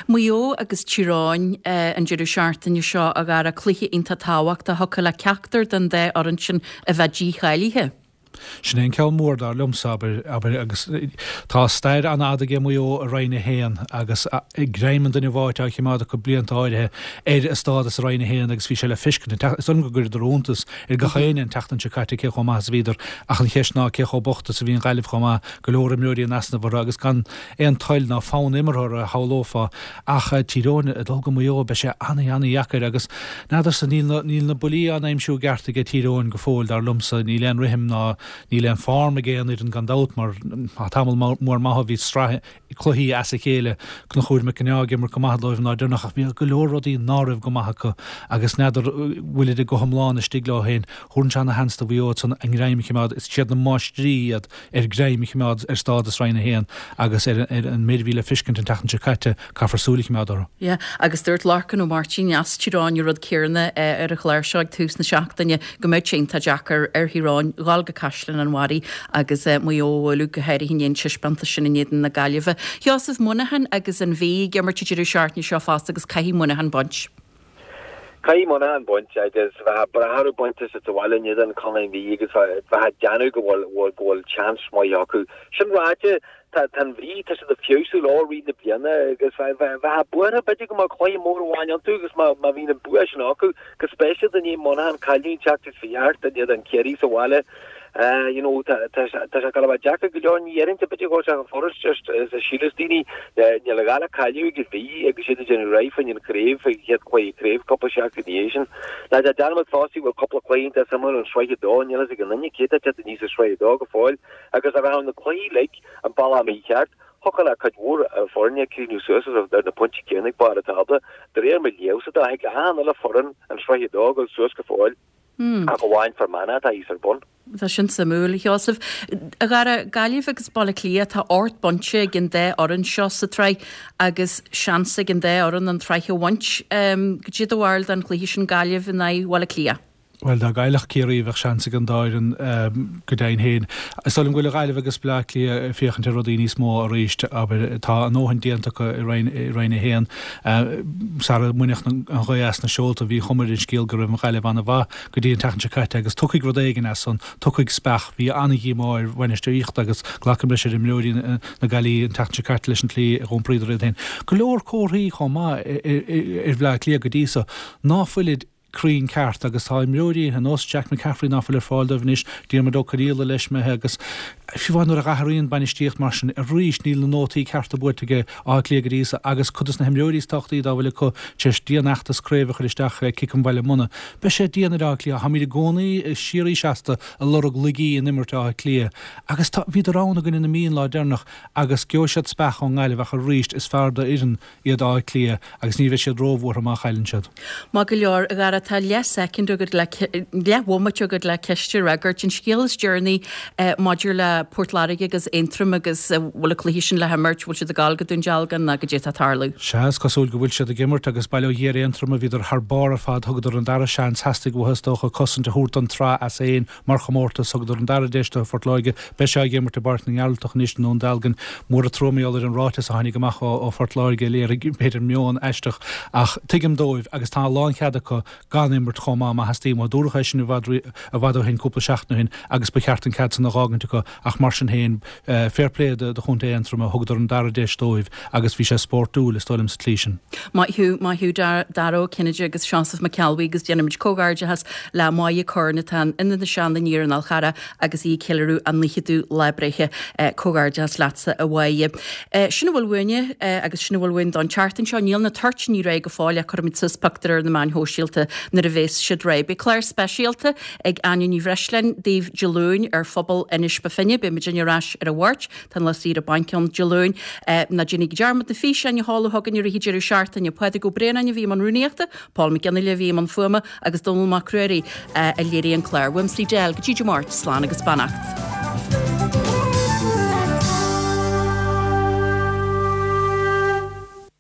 Maigh Eo agus Tír Eoghain an deireadh seachtaine seo, a Dhara, cluiche iontach tábhachtach, thiocfadh le ceachtar den dá fhoireann sin a bheith dícháilithe. Sin é an ceann mór dar liomsa, abair, abair, agus tá stair an-fhada aige Maigh Eo i Roinn a hAon agus greim an duine bháite á choimeád acu blianta áirithe ar a stádas i Roinn a hAon agus bhí sé le feiscint, is dóigh liom go gcuireadar iontas ar gach éinne an tseachtain seo caite cé chomh maith is a bhíodar ach an cheist ná cé chomh bocht is a bhí an Ghaillimh chomh maith, go leor imreoirí in easnamh orthu agus gan aon toil ná fonn imeartha orthu a shamhlófá ach Tír Eoghain ag dul go Maigh Eo beidh sé an-an-dheacair agus n'fheadarsa níl na níl na buillí á n-aimsiú i gceart aige Tír Eoghain go fóill dar liomsa, níl aon rithim ná níl aon form ag aon fhoireann gan dabht mar tá tamall mór maith ó bhí sraith cluichí as a chéile, Conchúr Mac Con Ádha ag imirt go maith dóibh an lá deireanach ach bhí go leor rudaí ná raibh go maith acu agus n'fheadar bhfuilid go hiomlán istigh leo féin. Thabharfainnse ana-sheans do Mhaigh Eo ansan a ngreim a choimeád, is iad na máistrí iad ar greim a choimeád ar stádas Roinn a hAon agus ar an méid a bhí le feiscint an tseachtain seo caite, caithfear súil a choimeád orthu. Yeah, agus dúirt Lorcan Ó Máirtín as Tír Eoghain an rud céanna ar an chlár seo ag tús na seachtaine, go mbeadh sé iontach deacair ar Thír Eoghain dhul go Caisleán an Bharraigh agus Maigh Eo a bhualadh, go háirithe i ndiaidh an taispeántas sin in éadan na Gaillimhe. Sheosaimh, Muineachán agus an Mhí ag imirt an deireadh seachtaine seo fosta agus caithfidh Muineachán baint. Caithfidh Muineachán baint agus bheifeá breá orthu baint is sa bhaile in éadan Chontae na Mí agus bheifeá ag déanamh go bhfuil go bhfuil seans maith acu. Sin ráite, tá tá an Mhí, tá siad ag feabhsú leo i rith na bliana agus bheifeá buartha b'fhéidir go mbeadh cluiche mór amháin iontu agus má má bhíonn an bua sin acu, go speisialta i ndiaidh Muineachán cailleadh an tseachtain seo thart in éadan Chiarraí sa bhaile. You know, tá tá tá sé ag gabháil a bheith deacair go leor, ní dhéarfainnse b'fhéidir go bhfuil sé chomh furast just is a shíleas daoine. Níl a dhath le cailleadh ag an Mhí agus iad ag déanamh réidh fá choinne an chraobh, faoin chéad chluiche craobh cúpla seachtain ina dhiaidh sin. Ná déan dearmad fosta go bhfuil cúpla cluiche iontach suimiúil in Sraith a Dó, níl a fhios ag aon duine cé atá ag teacht aníos i Sraith a Dó go fóill agus dá rachadh na cluichí uilig an bealach mícheart, thiocfadh le cuid mhór foirne críochnú suas ar na pointí céanna ag barr an tábla. De réir mo léamhsa de, thig le achan uile foireann in Sraith a Dó a dhul suas go fóill. Ach amháin Fear Manach atá thíos ar bun. Tá sin suimiúil, a Sheosaimh. A Dhara, Gaillimh agus Baile Átha Cliath, tá ocht bpointe ag an dá fhoireann seo sa tsraith agus seans ag an dá fhoireann an tsraith a bhaint. Cad é do bharúil den chluiche sin, Gaillimh in aghaidh Bhaile Átha Cliath? Bhuel, dá gcaillfeadh Ciarraí bheadh seans ag an dá fhoireann go deimhin féin. Is dóigh liom go bhfuil Gaillimh agus Baile Átha Cliath ag féachaint ar rudaí níos mó arís. Abair, tá a ndóthain déanta acu i Roinn a hAon. Sara mbainfeadh an ghaoth as na seolta, bhí cuma ar an scéal go raibh an Ghaillimh an-mhaith go dtí an tseachtain seo caite agus tiocfaidh rud éigin as san, tiocfaidh speach. Bhí an-dhíomá ar bhainistíocht agus glacaim leis ar imreoirí na Gaillimhe an tseachtain seo caite leis an tslí a d'iompraíodar iad féin. Go leor comharthaí chomh maith ar Bhaile Átha Cliath go dtí so ná fuilid cruinn ceart agus tá imreoirí ar nós Jack McCaffrey ná fuil ar fáil dóibh anois, Diarmuid Ó Conaola leis imithe agus fiú amháin nuair a athraíonn bainistíocht mar sin arís níl na nótaí cearta buailte ag Áth Cliath go dtí so agus cuid de na himreoirí is tábhachtaí dá bhfuil acu tar éis dianfheachtas craoibhe a chur isteach le Cic an Bhaile Munna. Beidh sé dian ar Áth Cliath. Táimid i gcónaí síoraí seasta ag lorg laigí in imirt Átha Cliath agus tá, bhíodar ann i gcoinne na Mí an lá deireanach agus gheobhaidh siad speach ón nGaillimh ach arís is fearr d'fhoireann iad Áth Cliath agus ní bheidh siad róbhuartha má chailleann siad. Maith go leor, a Dhara, tá leath soicind agat le, leath bhomaite agat le ceist a fhreagairt. An scéal is deireanaí maidir le Port Láirge agus Aontroim agus an bhfuil an cluiche sin le himirt, bhfuil siad ag gabháil go Dún Dealgan nó goidé atá ag tarlú? Sea, is cosúil go bhfuil siad ag imirt agus bail ó Dhia ar Aontroim a bhíodar thar barr ar fad, thugadar an dara seans, theastaigh uathu is dócha cosaint a thabhairt don tsraith as féin mar chomórtas, thugadar an dara deis do Phort Láirge, beidh sé á imirt i bPáirc na nGearaltach anois i nDún Dealgan. Mór an trua mar gheall ar an ráiteas a tháinig amach ó Phort Láirge, a léirigh b'fhéidir meon aisteach, ach tuigim dóibh agus tá a lánchead acu gan imirt chomh maith má theastaíonn uathu. Dúradh é sin i bhfad i bhfad ó shin, cúpla seachtain ó shin, agus ba cheart an cead san a dh'fhágaint acu ach mar sin féin, fair play do Chontae Aontroma, thugadar an dara deis dóibh agus bhí sé spórtúil, is dóigh liom, sa tslí sin. Maith thú, maith thú Dara Ó Cinnéide agus Seosamh Mac Ceallbhuí agus déanaimid comhghairdeachas le Máire Curran atá in Inis Aniar an Fhál Charraigh agus í ag ceiliúradh a naochadú lá breithe. Comhghairdeachas leatsa a Mháire. Sin a bhfuil uainne agus sin a bhfuil uainn don tseachtain seo. Níl na toirtíní réidh go fóill ach cuirfimid suas pictiúr ar na meáin shóisialta nuair a bhéas siad réidh. Beidh clár speisialta ag Áine Ní Bhreisleáin daoibh Dé Luain ar phobal Inis Bó Finne. Beidh muidinne ar ais ar an Mháirt. Tá an lá saoire bainc ann Dé Luain. Ná déanaigí dearmad na físeáin a sheoladh chugainn i rith an deireadh seachtaine. Pádraig Ó Braonáin a bhí i mbun rúnaíochta, Paul Mac Fhionnghaile a bhí i mbun fuaime agus Dónall Mac Ruairí a léirigh an clár. Uaimse Edel go dtí Dé Máirt, slán agus beannacht.